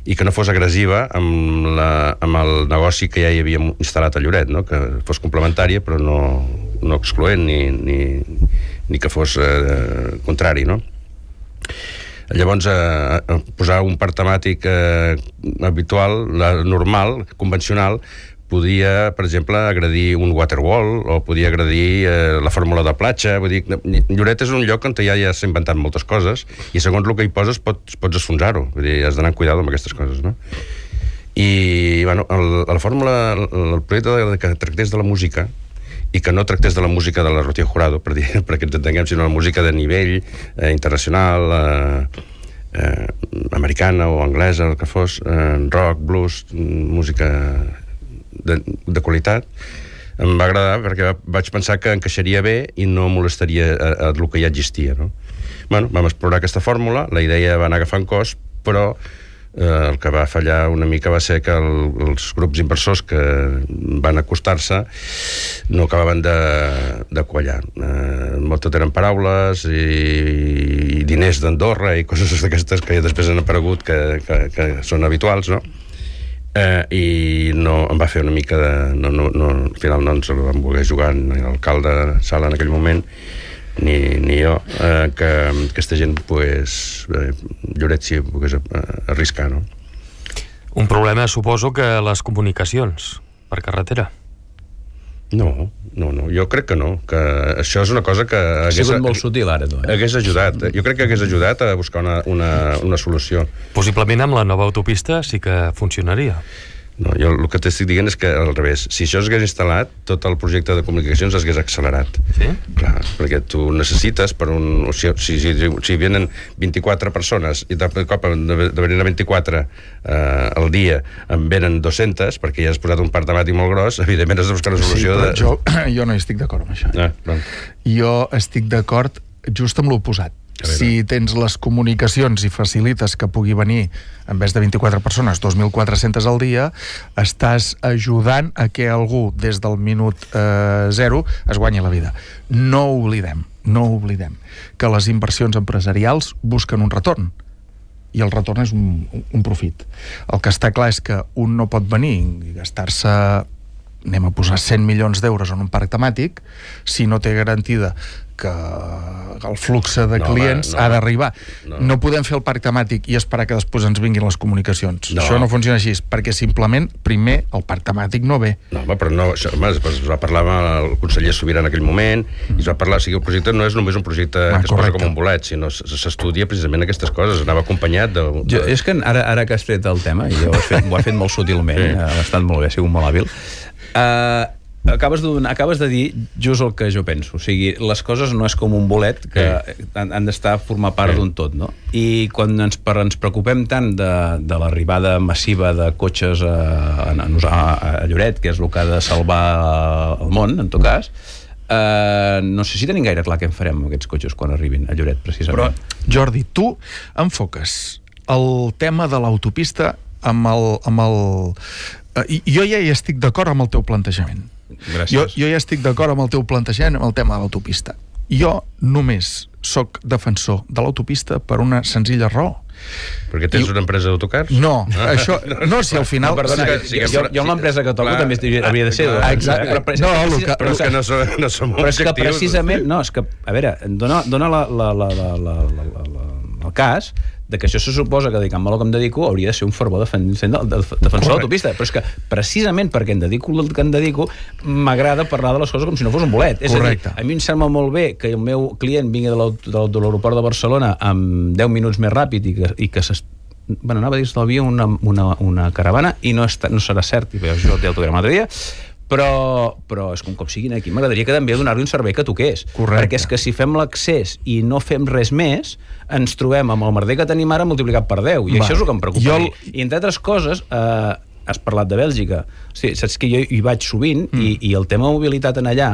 i que no fos agressiva amb el negoci que ja hi havia instal·lat a Lloret, no? Que fos complementària però no excloent ni que fos contrari, no? Llavors, posar un parc temàtic habitual, normal, convencional, podia, per exemple, agredir un waterwall, o podia agredir la fórmula de platja. Vull dir, Lloret és un lloc on ja s'ha inventat moltes coses, i segons el que hi poses pots esfonsar-ho. Vull dir, has d'anar amb cuidado amb aquestes coses, no? I, bueno, la fórmula, el projecte que tractés de la música, i que no tractés de la música de la Rocío Jurado, perquè ens entenguem, sinó la música de nivell internacional, americana o anglesa, el que fos, rock, blues, música de qualitat, em va agradar perquè vaig pensar que encaixaria bé i no molestaria el que ja existia, no? Bueno, vam explorar aquesta fórmula, la idea va anar agafant cos, però el que va fallar una mica va ser que els grups inversors que van acostar-se no acabaven de quallar. Tot eren paraules i diners d'Andorra i coses d'aquestes que després han aparegut que són habituals, no? I no, em va fer una mica de... al final no ens el vam voler jugar ni l'alcalde de Sala en aquell moment ni jo, que aquesta gent Lloret s'hi pogués arriscar, no? Un problema, suposo, que les comunicacions per carretera. No, jo crec que no, que això és una cosa que ha sigut molt sutil ara, tu, hagués ajudat, jo crec que hagués ajudat a buscar una solució. Possiblement amb la nova autopista sí que funcionaria. No, jo el que t'estic dient és que al revés, si això s'hagués instal·lat, tot el projecte de comunicacions s'hagués accelerat. Sí? Clar, perquè tu necessites per un... Si venen 24 persones i de cop de venir a 24 al dia en venen 200, perquè ja has posat un parc temàtic molt gros, evidentment has de buscar una solució jo no hi estic d'acord amb això. Bueno. Jo estic d'acord just amb l'oposat. Si tens les comunicacions i facilites que pugui venir, en vez de 24 persones, 2.400 al dia, estàs ajudant a que algú, des del minut 0, es guanyi la vida. No oblidem que les inversions empresarials busquen un retorn, i el retorn és un profit. El que està clar és que un no pot venir i gastar-se, anem a posar 100 milions d'euros en un parc temàtic, si no té garantida que el flux de clients ha d'arribar. No podem fer el parc temàtic i esperar que després ens vinguin les comunicacions. Això no funciona així, perquè simplement, primer, el parc temàtic no ve. No, home, però no, això, home, es va parlar amb el conseller Sobirà en aquell moment, i es va parlar, o sigui, el projecte no és només un projecte que es posa com un bolet, sinó s'estudia precisament aquestes coses, anava acompanyat de... És que ara que has tret el tema, i ho ha fet molt sutilment, ha estat molt bé, ha sigut molt hàbil, acabes de dir just el que jo penso, o sigui, les coses no és com un bolet que han d'estar a formar part d'un tot, no? I quan ens preocupem tant de l'arribada massiva de cotxes a Lloret, que és el que ha de salvar el món, en tot cas, no sé si tenim gaire clar què en farem amb aquests cotxes quan arribin a Lloret, precisament. Però, Jordi, tu enfoques el tema de l'autopista amb el... Jo ja hi estic d'acord amb el teu plantejament. Gràcies. Jo ja estic d'acord amb el teu plantejament amb el tema de l'autopista. Jo només soc defensor de l'autopista per una senzilla raó. Perquè tens una empresa d'autocars? No, això... No, si al final... No, perdona, jo amb l'empresa que toco també havia de ser... Exacte. Però és que no som objectius. Però és que precisament... No, és que, a veure, dona el cas de que això se suposa que, dedicant-me a lo que em dedico, hauria de ser un fervor defensor de l'autopista. Però és que, precisament perquè em dedico el que em dedico, m'agrada parlar de les coses com si no fos un bolet. És a dir, a mi em sembla molt bé que el meu client vingui de l'aeroport de Barcelona amb 10 minuts més ràpid i que bueno, anava a dir estalvia una caravana, i no serà cert, i jo el autograma l'altre dia, però és com siguin aquí. M'agradaria que també donar-li un servei que toqués. Correcte. Perquè és que si fem l'accés i no fem res més, ens trobem amb el merder que tenim ara multiplicat per 10, i això és el que em preocupa. I entre altres coses, has parlat de Bèlgica. Hosti, saps que jo hi vaig sovint, i el tema de mobilitat en allà,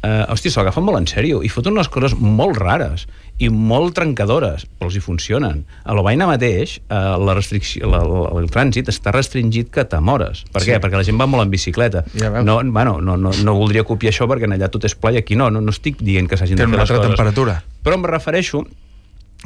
hòstia, se l'agafen molt en sèrio i foten unes coses molt rares i molt trencadores, però els hi funcionen. A l'Obaina mateix, el trànsit està restringit que t'amores. Per què? Perquè la gent va molt en bicicleta. No voldria copiar això perquè en allà tot és pla i aquí no estic dient que s'hagin de fer les coses. Temperatura. Però em refereixo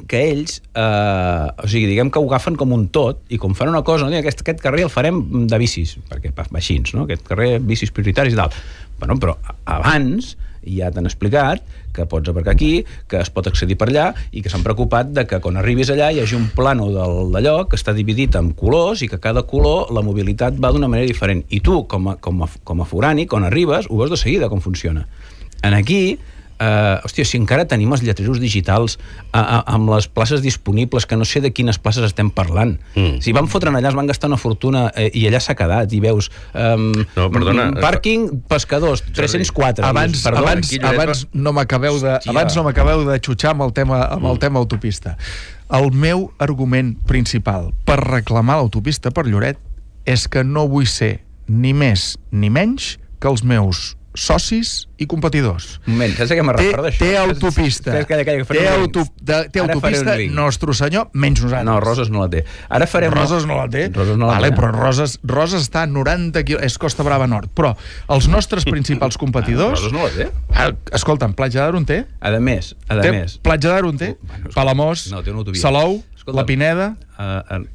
que ells, o sigui, diguem que ho agafen com un tot, i com fan una cosa, no? Aquest carrer el farem de bicis, perquè baixins, no? Aquest carrer, bicis prioritaris i tal. Bueno, però abans ja t'han explicat que pots aparcar aquí, que es pot accedir per allà, i que s'han preocupat de que quan arribis allà hi hagi un plano d'allò que està dividit en colors i que cada color la mobilitat va d'una manera diferent. I tu, com a forani, quan arribes, ho veus de seguida com funciona. En aquí, hòstia, si encara tenim els lletreros digitals amb les places disponibles, que no sé de quines places estem parlant. Si van fotre'n allà, es van gastar una fortuna i allà s'ha quedat, i veus pàrquing pescadors, 304. Abans no m'acabeu de xutxar amb el tema autopista. El meu argument principal per reclamar l'autopista per Lloret és que no vull ser ni més ni menys que els meus socis i competidors. Un moment, saps a què me recorda això? Té autopista. Té autopista, Nostre Senyor, menys nosaltres. No, Roses no la té. Ara farem... Roses no la té? Vale, però Roses està a 90 quilòmetres, és Costa Brava Nord. Però els nostres principals competidors... Roses no la té? Escolta'm, Platja d'Aro en té? A més. Platja d'Aro en té? Palamós, Salou, La Pineda,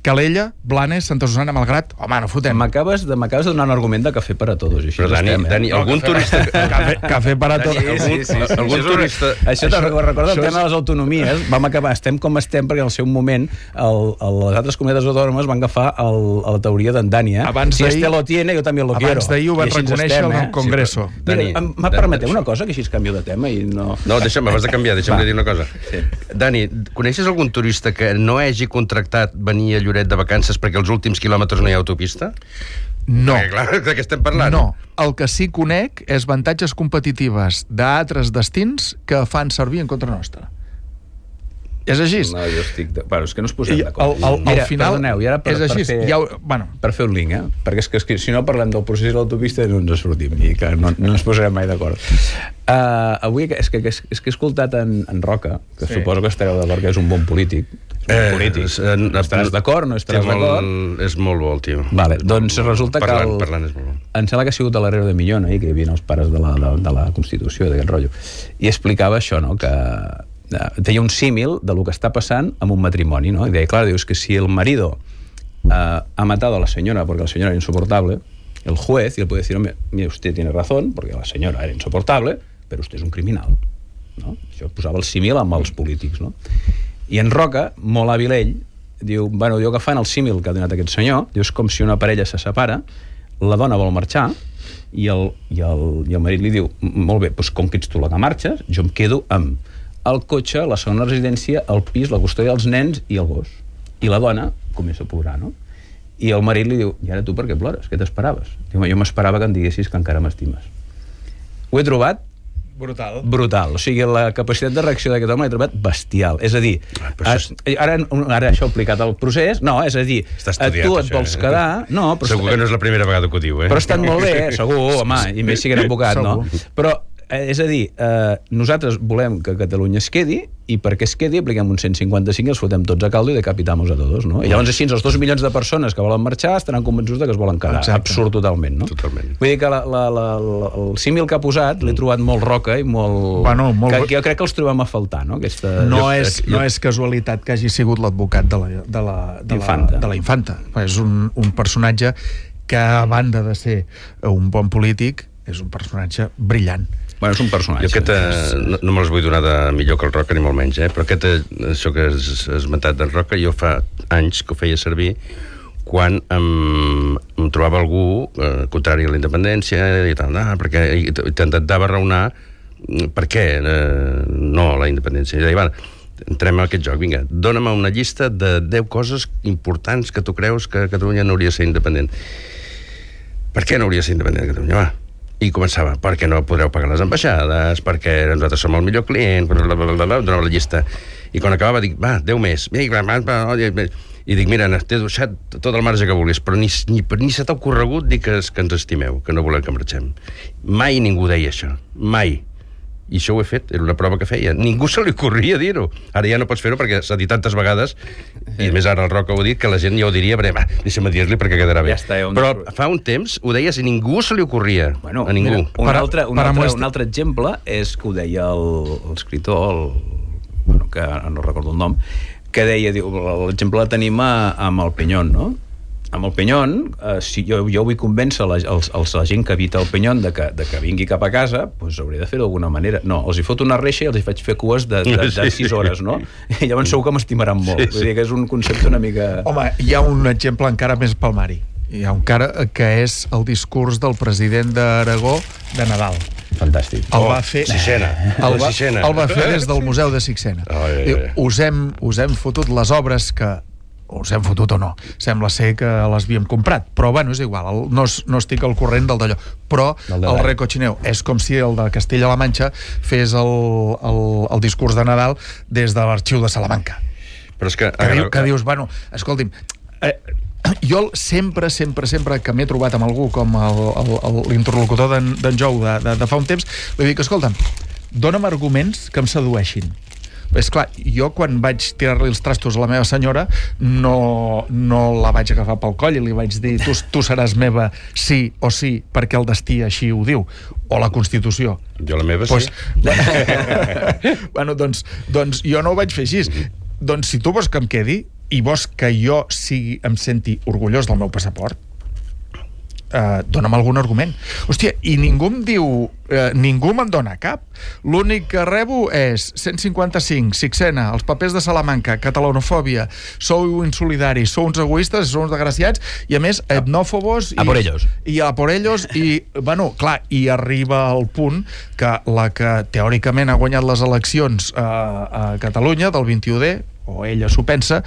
Calella, Blanes, Santa Susana, Malgrat... Home, no fotem. M'acabes de donar un argument de cafè per a tots. Però, Dani, algun turista... Cafè per a tots. Algun turista... Això te'n recorda el tema de les autonomies. Vam acabar, estem com estem, perquè en el seu moment les altres comunitats autònomes van agafar la teoria d'en Dani. Si este lo tiene, yo también lo quiero. Abans d'ahir ho van reconèixer al Congreso. Mira, permeteu una cosa, que així canvio de tema i no... No, deixa'm, abans de canviar, deixa'm dir una cosa. Dani, coneixes algun turista que no hagi contractat venir a Lloret de vacances perquè els últims quilòmetres no hi ha autopista? No. Perquè, clar, de què estem parlant? No. El que sí conec és avantatges competitives d'altres destins que fan servir en contra nostra. És així. No, jo estic... Bueno, és que no es posem d'acord. Al final, perdoneu, i ara és així. Per fer un link, perquè és que si no parlem del procés de l'autopista no ens sortim, i que no ens posarem mai d'acord. Avui és que he escoltat en Roca, que suposo que estareu d'acord que és un bon polític. Estaràs d'acord, no estaràs d'acord? És molt bo el tio. Vale, doncs resulta que parlant és molt bo. em sembla que ha sigut a l'Herrero de Millón, que hi havia els pares de la Constitució, d'aquest rotllo, i explicava això, no?, que feia un símil de lo que està passant amb un matrimoni, no? I deia, clar, dius que si el marido ha matado a la señora porque la señora era insoportable, el juez, y él puede decir, hombre, usted tiene razón, porque la señora era insoportable, però usted és un criminal, no? Això posava el símil amb els polítics, no? I en Roca, molt hàbil ell, diu, bueno, diu que fan el símil que ha donat aquest senyor, diu, és com si una parella se separa, la dona vol marxar, i el marit li diu, molt bé, doncs com que ets tu la que marxes, jo em quedo amb el cotxe, la segona residència, el pis, la custòdia dels nens i el gos. I la dona comença a plorar, no? I el marit li diu, i ara tu per què plores? Què t'esperaves? Diu, jo m'esperava que em diguessis que encara m'estimes. Ho he trobat brutal. O sigui, la capacitat de reacció d'aquest home l'he trobat bestial. És a dir, ara això aplicat al procés, no, és a dir, tu et vols quedar... No, però segur que no és la primera vegada que ho diu, Però ha estat molt bé, segur, home, i més si que era advocat, no? Però és a dir, nosaltres volem que Catalunya es quedi, i perquè es quedi apliquem un 155 i els fotem tots a caldo i decapitamos a todos, no? I llavors així els 2 milions de persones que volen marxar estaran convençuts que es volen quedar. Absurd totalment, no? Totalment. Vull dir que el símil que ha posat l'he trobat molt Roca i molt... Que jo crec que els trobem a faltar, no? No és casualitat que hagi sigut l'advocat de la Infanta. És un personatge que, a banda de ser un bon polític, és un personatge brillant. Bueno, és un personatge. Jo no me les vull donar de millor que el Roca, ni molt menys, però això que has esmentat d'en Roca, jo fa anys que ho feia servir quan em trobava algú contrari a la independència i tal, perquè intentava raonar per què no a la independència. I deia, va, entrem a aquest joc, vinga, dóna'm una llista de 10 coses importants que tu creus que Catalunya no hauria de ser independent. Per què no hauria de ser independent Catalunya? Va. I començava, perquè no podreu pagar les ambaixades, perquè nosaltres som el millor client, donava la llista. I quan acabava dic, va, 10 més. I dic, mira, t'he deixat tot el marge que vulguis, però ni se t'ha ocorregut dir que ens estimeu, que no volem que marxem. Mai ningú deia això, mai. I això ho he fet, era una prova que feia. Ningú se li ocorria dir-ho. Ara ja no pots fer-ho perquè s'ha dit tantes vegades, i més ara el Roca ho ha dit, que la gent ja ho diria, va, deixa'm dir-li perquè quedarà bé. Però fa un temps ho deies i ningú se li ocorria. Bueno, a ningú. Un altre exemple és que ho deia l'escriptor, que no recordo el nom, que deia, l'exemple el tenim amb el Peñón, no? Amb el Peñón, si jo vull convèncer la gent que habita el Peñón de que vingui cap a casa, doncs hauré de fer-ho d'alguna manera. No, els hi foto una reixa i els hi faig fer cues de 6 hores, no? I llavors segur que m'estimaran molt. Vull dir que és un concepte una mica... Home, hi ha un exemple encara més palmari. Hi ha un cara que és el discurs del president d'Aragó de Nadal. Fantàstic. El va fer... Sixena. El va fer des del Museu de Sixena. Us hem fotut les obres que... us hem fotut o no, sembla ser que les havíem comprat, però bueno, és igual, no estic al corrent del d'allò, però el recochineo és com si el de Castella-La Manxa fes el discurs de Nadal des de l'arxiu de Salamanca, però és que dius, bueno, escolti'm, jo sempre que m'he trobat amb algú com l'interlocutor d'en Jou de fa un temps, li dic, escolta'm, dona'm arguments que em sedueixin. És clar, jo quan vaig tirar-li els trastos a la meva senyora no la vaig agafar pel coll i li vaig dir, tu seràs meva sí o sí, perquè el destí així ho diu, o la Constitució. Jo la meva sí. Bueno, doncs jo no ho vaig fer així. Doncs si tu vols que em quedi i vols que jo em senti orgullós del meu passaport, dona'm algun argument. Hòstia, i ningú em diu, ningú me'n dona cap. L'únic que rebo és 155, Sixena, els papers de Salamanca, catalanofòbia, sou insolidaris, sou uns egoistes, sou uns desgraciats, i a més, etnòfobos... A por ellos. I a por ellos, i, bueno, clar, i arriba al punt que la que teòricament ha guanyat les eleccions a Catalunya, del 21D, o ella s'ho pensa,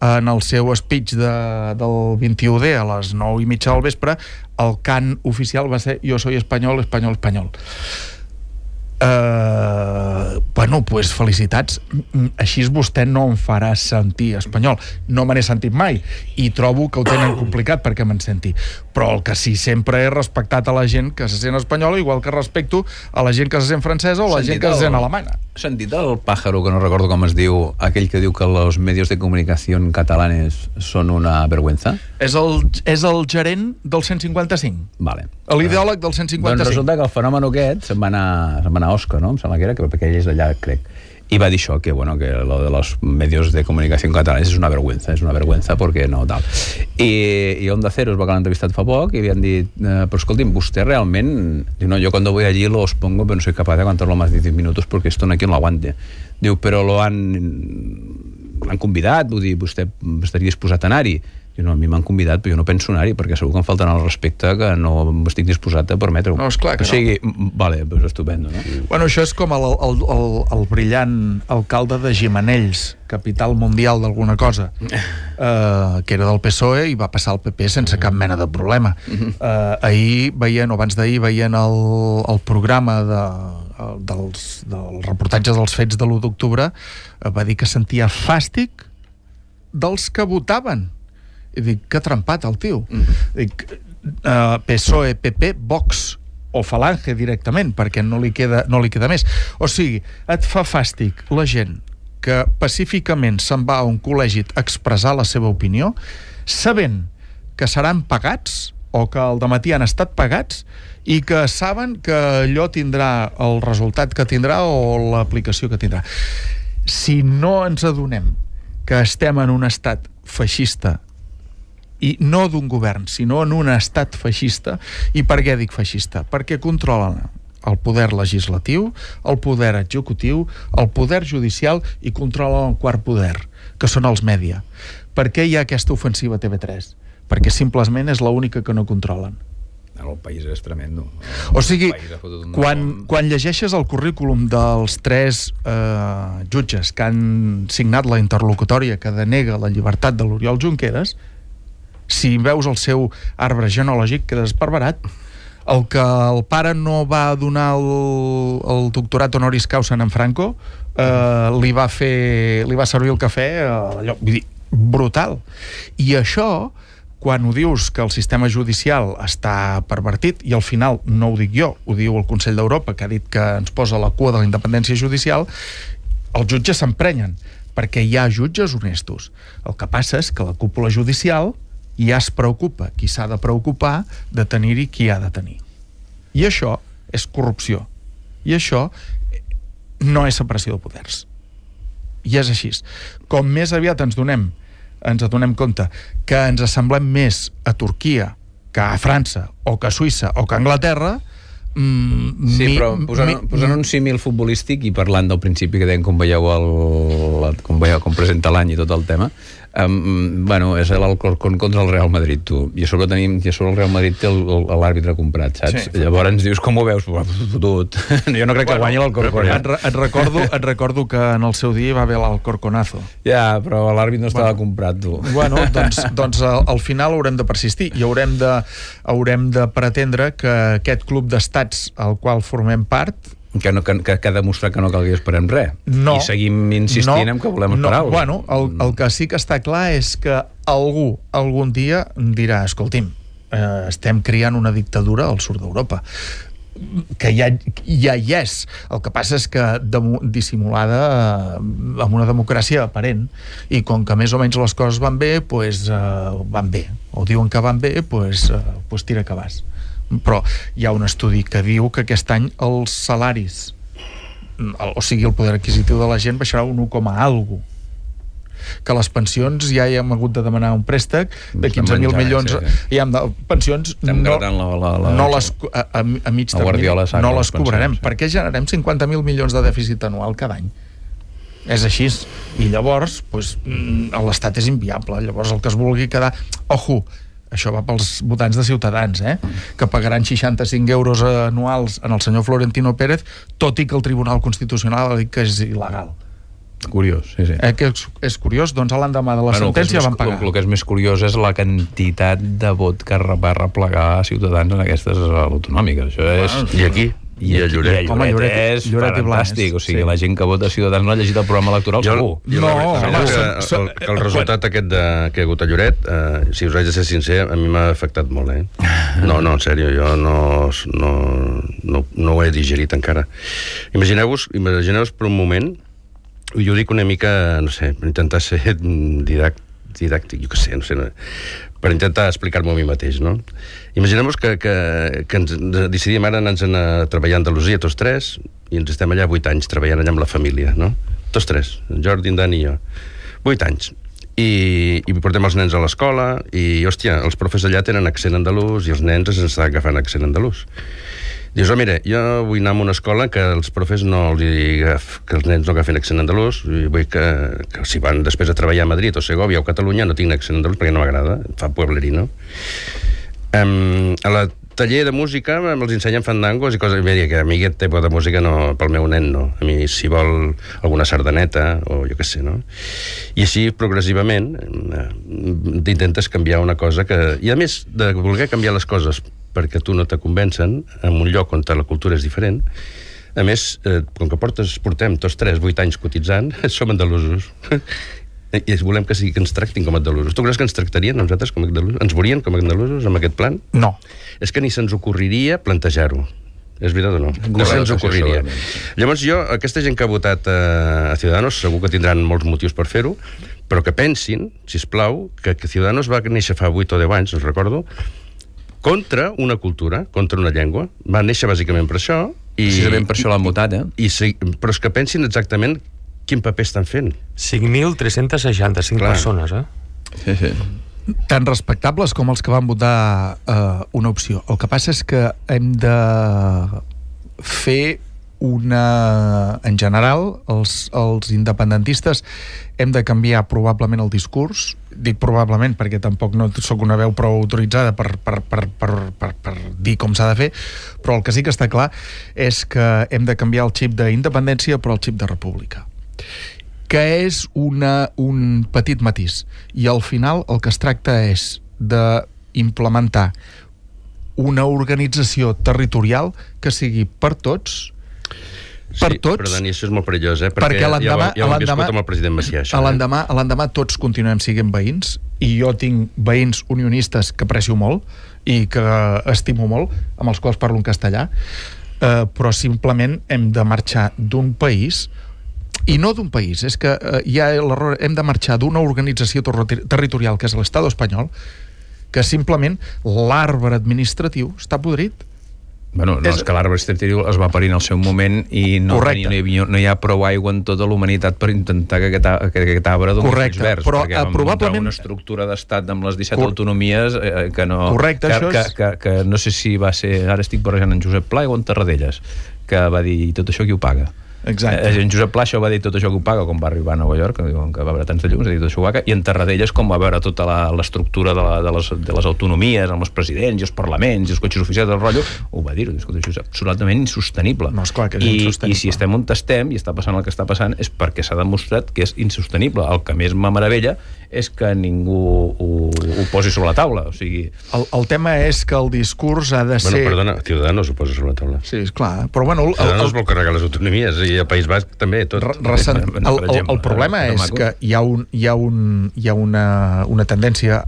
en el seu speech del 21D a les 9:30 del vespre, el cant oficial va ser "Yo soy español, español, español". Bueno, Bueno, pues felicitats. Així vostè no em farà sentir espanyol. No me n'he sentit mai i trobo que ho tenen complicat perquè me'n senti. Però el que sí sempre he respectat a la gent que se sent espanyola, igual que respecto a la gent que se sent francesa o la gent que se sent alemanya. Has sentit el pàjaro, que no recordo com es diu, aquell que diu que los medios de comunicació catalanes són una vergüenza? És el gerent del 155. Vale. L'ideòleg del 155. Doncs resulta que el fenomen aquest se'n va anar a Oscar, no? Em sembla que era, perquè ell és d'allà, crec. I va dir això, que bueno, que lo de los medios de comunicació catalanes és una vergüenza perquè no tal. I Onda Cero es va quedar entrevistat fa poc i li han dit, però escolti'm, vostè realment, diu, no, yo cuando voy allí los pongo pero no soy capaz de aguantarlo más de 10 minutos porque esto no hay quien lo aguante. Diu, però l'han convidat, vull dir, vostè estaria disposat a anar-hi? Diu, no, a mi m'han convidat, però jo no penso anar-hi perquè segur que em faltarà el respecte que no estic disposat a permetre-ho. No, esclar que o sigui, vale, doncs estupendo, no? Bueno, això és com el brillant alcalde de Gimenells, capital mundial d'alguna cosa, que era del PSOE i va passar al PP sense cap mena de problema. Ahir veien, o abans d'ahir, veien el programa dels reportatges dels fets de l'1 d'octubre, va dir que sentia fàstic dels que votaven. I dic, que trempat el tio. Dic, PSOE, PP, Vox o Falange directament, perquè no li queda més. O sigui, et fa fàstic la gent que pacíficament se'n va a un col·legi a expressar la seva opinió, sabent que seran pagats o que al dematí han estat pagats i que saben que allò tindrà el resultat que tindrà o l'aplicació que tindrà. Si no ens adonem que estem en un estat feixista, i no d'un govern, sinó en un estat feixista. I per què dic feixista? Perquè controlen el poder legislatiu, el poder executiu, el poder judicial i controlen el quart poder, que són els mèdia. Per què hi ha aquesta ofensiva a TV3? Perquè simplement és l'única que no controlen. El país és tremendo. O sigui, quan llegeixes el currículum dels 3 jutges que han signat la interlocutòria que denega la llibertat de l'Oriol Junqueras, si veus el seu arbre genealògic quedes esparverat. El que el pare no va donar el doctorat honoris causa en Franco, li va servir el cafè, allò, vull dir, brutal. I això, quan ho dius que el sistema judicial està pervertit, i al final no ho dic jo, ho diu el Consell d'Europa, que ha dit que ens posa a la cua de la independència judicial, els jutges s'emprenyen, perquè hi ha jutges honestos. El que passa és que la cúpula judicial ja es preocupa, qui s'ha de preocupar, de tenir-hi qui ha de tenir. I això és corrupció. I això no és separació de poders. I és així. Com més aviat ens adonem compte que ens assemblem més a Turquia que a França, o que a Suïssa, o que a Anglaterra, sí, però posant un símil futbolístic i parlant del principi que deien com veieu com presenta l'any i tot el tema, bueno, és l'Alcorcón contra el Real Madrid, tu, i a sobre el Real Madrid té l'àrbitre comprat, saps? Sí. Llavors ens dius, com ho veus? Fotut. Jo no crec que guanyi l'Alcorcón. Et recordo que en el seu dia va haver l'Alcorconazo. Ja, però l'àrbit no estava comprat, tu. Bueno, doncs al final haurem de persistir i haurem de pretendre que aquest club d'estats al qual formem part que ha demostrat que no calgui esperar res. No, i seguim insistint en que volem esperar. Bueno, el que sí que està clar és que algú algun dia dirà, escolti'm, estem creant una dictadura al sud d'Europa, que ja hi és. El que passa és que dissimulada amb una democràcia aparent, i com que més o menys les coses van bé, van bé, o diuen que van bé, tira que vas. Però hi ha un estudi que diu que aquest any els salaris, o sigui, el poder adquisitiu de la gent baixarà un 1,algo, que les pensions ja hi hem hagut de demanar un préstec de 15.000 milions, i amb pensions a mig termini no les cobrarem. Per què generem 50.000 milions de dèficit anual cada any? És així. I llavors l'estat és inviable. Llavors el que es vulgui quedar, ojo, això va pels votants de Ciutadans, que pagaran 65 euros anuals en el senyor Florentino Pérez, tot i que el Tribunal Constitucional ha dit que és il·legal. Curiós, sí. Que és curiós, doncs a l'endemà de la sentència van pagar. El que és més curiós és la quantitat de vot que va replegar Ciutadans en aquestes autonòmiques. Això és... I aquí? I a Lloret. Home, Lloret és fantàstic. O sigui, la gent que vota Ciutadans no ha llegit el programa electoral, segur. Que el resultat aquest que hi ha hagut a Lloret, si us haig de ser sincer, a mi m'ha afectat molt, No, en sèrio, jo no ho he digerit encara. Imagineu-vos per un moment, i ho dic una mica, no sé, per intentar ser didàctic, jo què sé, no sé, per intentar explicar-m'ho a mi mateix, no? Imaginem-vos que ens decidim ara anar-nos a treballar a Andalusia, tots tres, i ens estem allà 8 anys treballant allà amb la família, no? Tots tres, en Jordi, en Dani i jo. 8 anys. I portem els nens a l'escola, i, hòstia, els profes allà tenen accent andalús i els nens ens estan agafant accent andalús. Dius, mira, jo vull anar a una escola que els profes que els nens no agafen accent andalús, i vull que si van després a treballar a Madrid o Segòvia o Catalunya no tinguin accent andalús perquè no m'agrada, fa pueblerino. A la taller de música els ensenyen fandangos i coses, mira, que a mi aquest tipus de música no, pel meu nen no, a mi si vol alguna sardaneta o jo què sé, no? I així progressivament intentes canviar una cosa que, i a més de voler canviar les coses perquè tu no te convencen en un lloc on la cultura és diferent, a més, com que portem tots 8 anys cotitzant, som andalusos. I volem que ens tractin com a andalusos. Tu creus que ens tractarien nosaltres com a andalusos? Ens veurien com a andalusos amb aquest plan? No. És que ni se'ns ocorriria plantejar-ho. És veritat o no? No se'ns ocorriria. Llavors aquesta gent que ha votat a Ciudadanos segur que tindran molts motius per fer-ho, però que pensin, sisplau, que Ciudadanos va néixer fa 8 o 10 anys, us recordo, contra una cultura, contra una llengua. Va néixer bàsicament per això. Precisament per això l'han votat, però és que pensin exactament quin paper estan fent. 5.365 persones, Sí. Tan respectables com els que van votar una opció. El que passa és que hem de fer en general, els independentistes hem de canviar probablement el discurs. Dic probablement perquè tampoc no sóc una veu prou autoritzada per dir com s'ha de fer, però el que sí que està clar és que hem de canviar el xip d'independència per el xip de república, que és un petit matís, i al final el que es tracta és d'implementar una organització territorial que sigui per tots, però Dani, això és molt perillós, perquè ja ho hem viscut amb el president Macià, això. L'endemà tots continuem sent veïns, i jo tinc veïns unionistes que aprecio molt i que estimo molt, amb els quals parlo en castellà, però simplement hem de marxar d'un país, i no d'un país, és que hi ha l'error, hem de marxar d'una organització territorial que és l'Estat espanyol, que simplement l'arbre administratiu està podrit. Bueno, no, és que l'arbre administratiu es va parir en el seu moment i no hi ha prou aigua en tota l'humanitat per intentar que aquest arbre doni els verds, però perquè vam muntar una estructura d'estat amb les 17 autonomies que no... Correcte, que no sé si va ser... Ara estic barrejant en Josep Pla o en Tarradellas, que va dir, i tot això qui ho paga? Exacte. En Josep Pla això va dir tot això que ho paga quan va arribar a Nova York, que va veure tants de llums, va dir tot això ho paga, i en Tarradellas com va veure tota l'estructura de les autonomies amb els presidents i els parlaments i els cotxes oficials del rotllo, ho va dir, escolta, això és absolutament insostenible. No, esclar que és insostenible. I si estem on estem i està passant el que està passant és perquè s'ha demostrat que és insostenible. El que més m'meravella és que ningú ho posi sobre la taula, o sigui... El tema és que el discurs ha de ser... Bueno, perdona, Ciudadanos ho posa sobre la taula. Sí, esclar, però bueno... Ciudadanos vol carregar les autonomies, i el País Basc també, tot. El problema és que hi ha una tendència...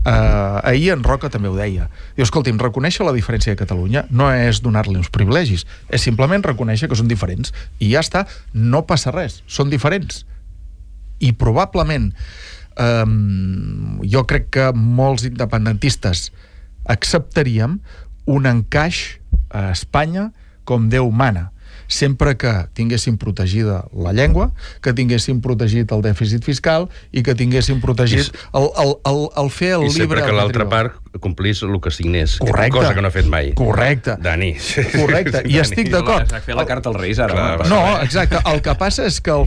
Ahir en Roca també ho deia. Diu, escolti'm, reconèixer la diferència de Catalunya no és donar-li uns privilegis, és simplement reconèixer que són diferents, i ja està, no passa res, són diferents. I probablement jo crec que molts independentistes acceptaríem un encaix a Espanya com Déu mana, sempre que tinguéssim protegida la llengua, que tinguéssim protegit el dèficit fiscal i que tinguéssim protegit el fer el llibre... I sempre que l'altra part complís el que signés. Correcte. Cosa que no ha fet mai. Correcte. Dani. Correcte. I estic d'acord. Fer la carta als Reis, ara. No, exacte. El que passa és que al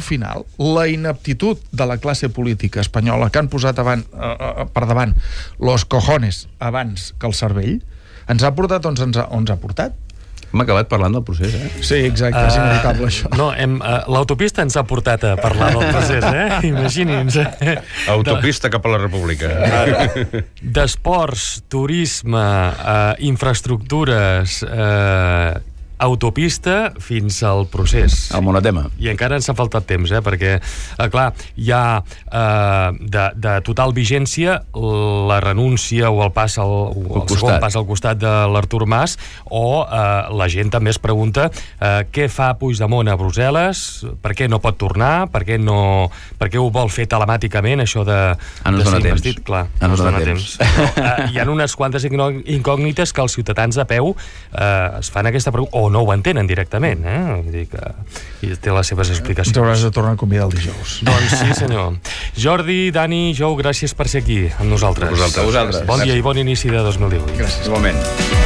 final, la ineptitud de la classe política espanyola, que han posat per davant los cojones abans que el cervell, ens ha portat on ens ha portat. Hem acabat parlant del procés, Sí, exacte, és inevitable això. No, l'autopista ens ha portat a parlar del procés, Imagini'ns. Autopista cap a la República. D'esports, turisme, infraestructures autopista fins al procés. El monotema. I encara ens ha faltat temps, perquè, clar, hi ha de total vigència la renúncia o el segon pas al costat de l'Artur Mas, o la gent també es pregunta què fa Puigdemont a Brussel·les, per què no pot tornar, per què ho vol fer telemàticament, això de ser investit. Clar, no es dona temps. Hi ha unes quantes incògnites que els ciutadans de peu es fan aquesta pregunta, o no ho entenen directament, vull dir que té les seves explicacions. Ens hauràs de tornar a convidar el dijous. Doncs sí, senyor. Jordi, Dani, Jou, gràcies per ser aquí amb nosaltres. A vosaltres. Bon dia i bon inici de 2018. Gràcies. Igualment.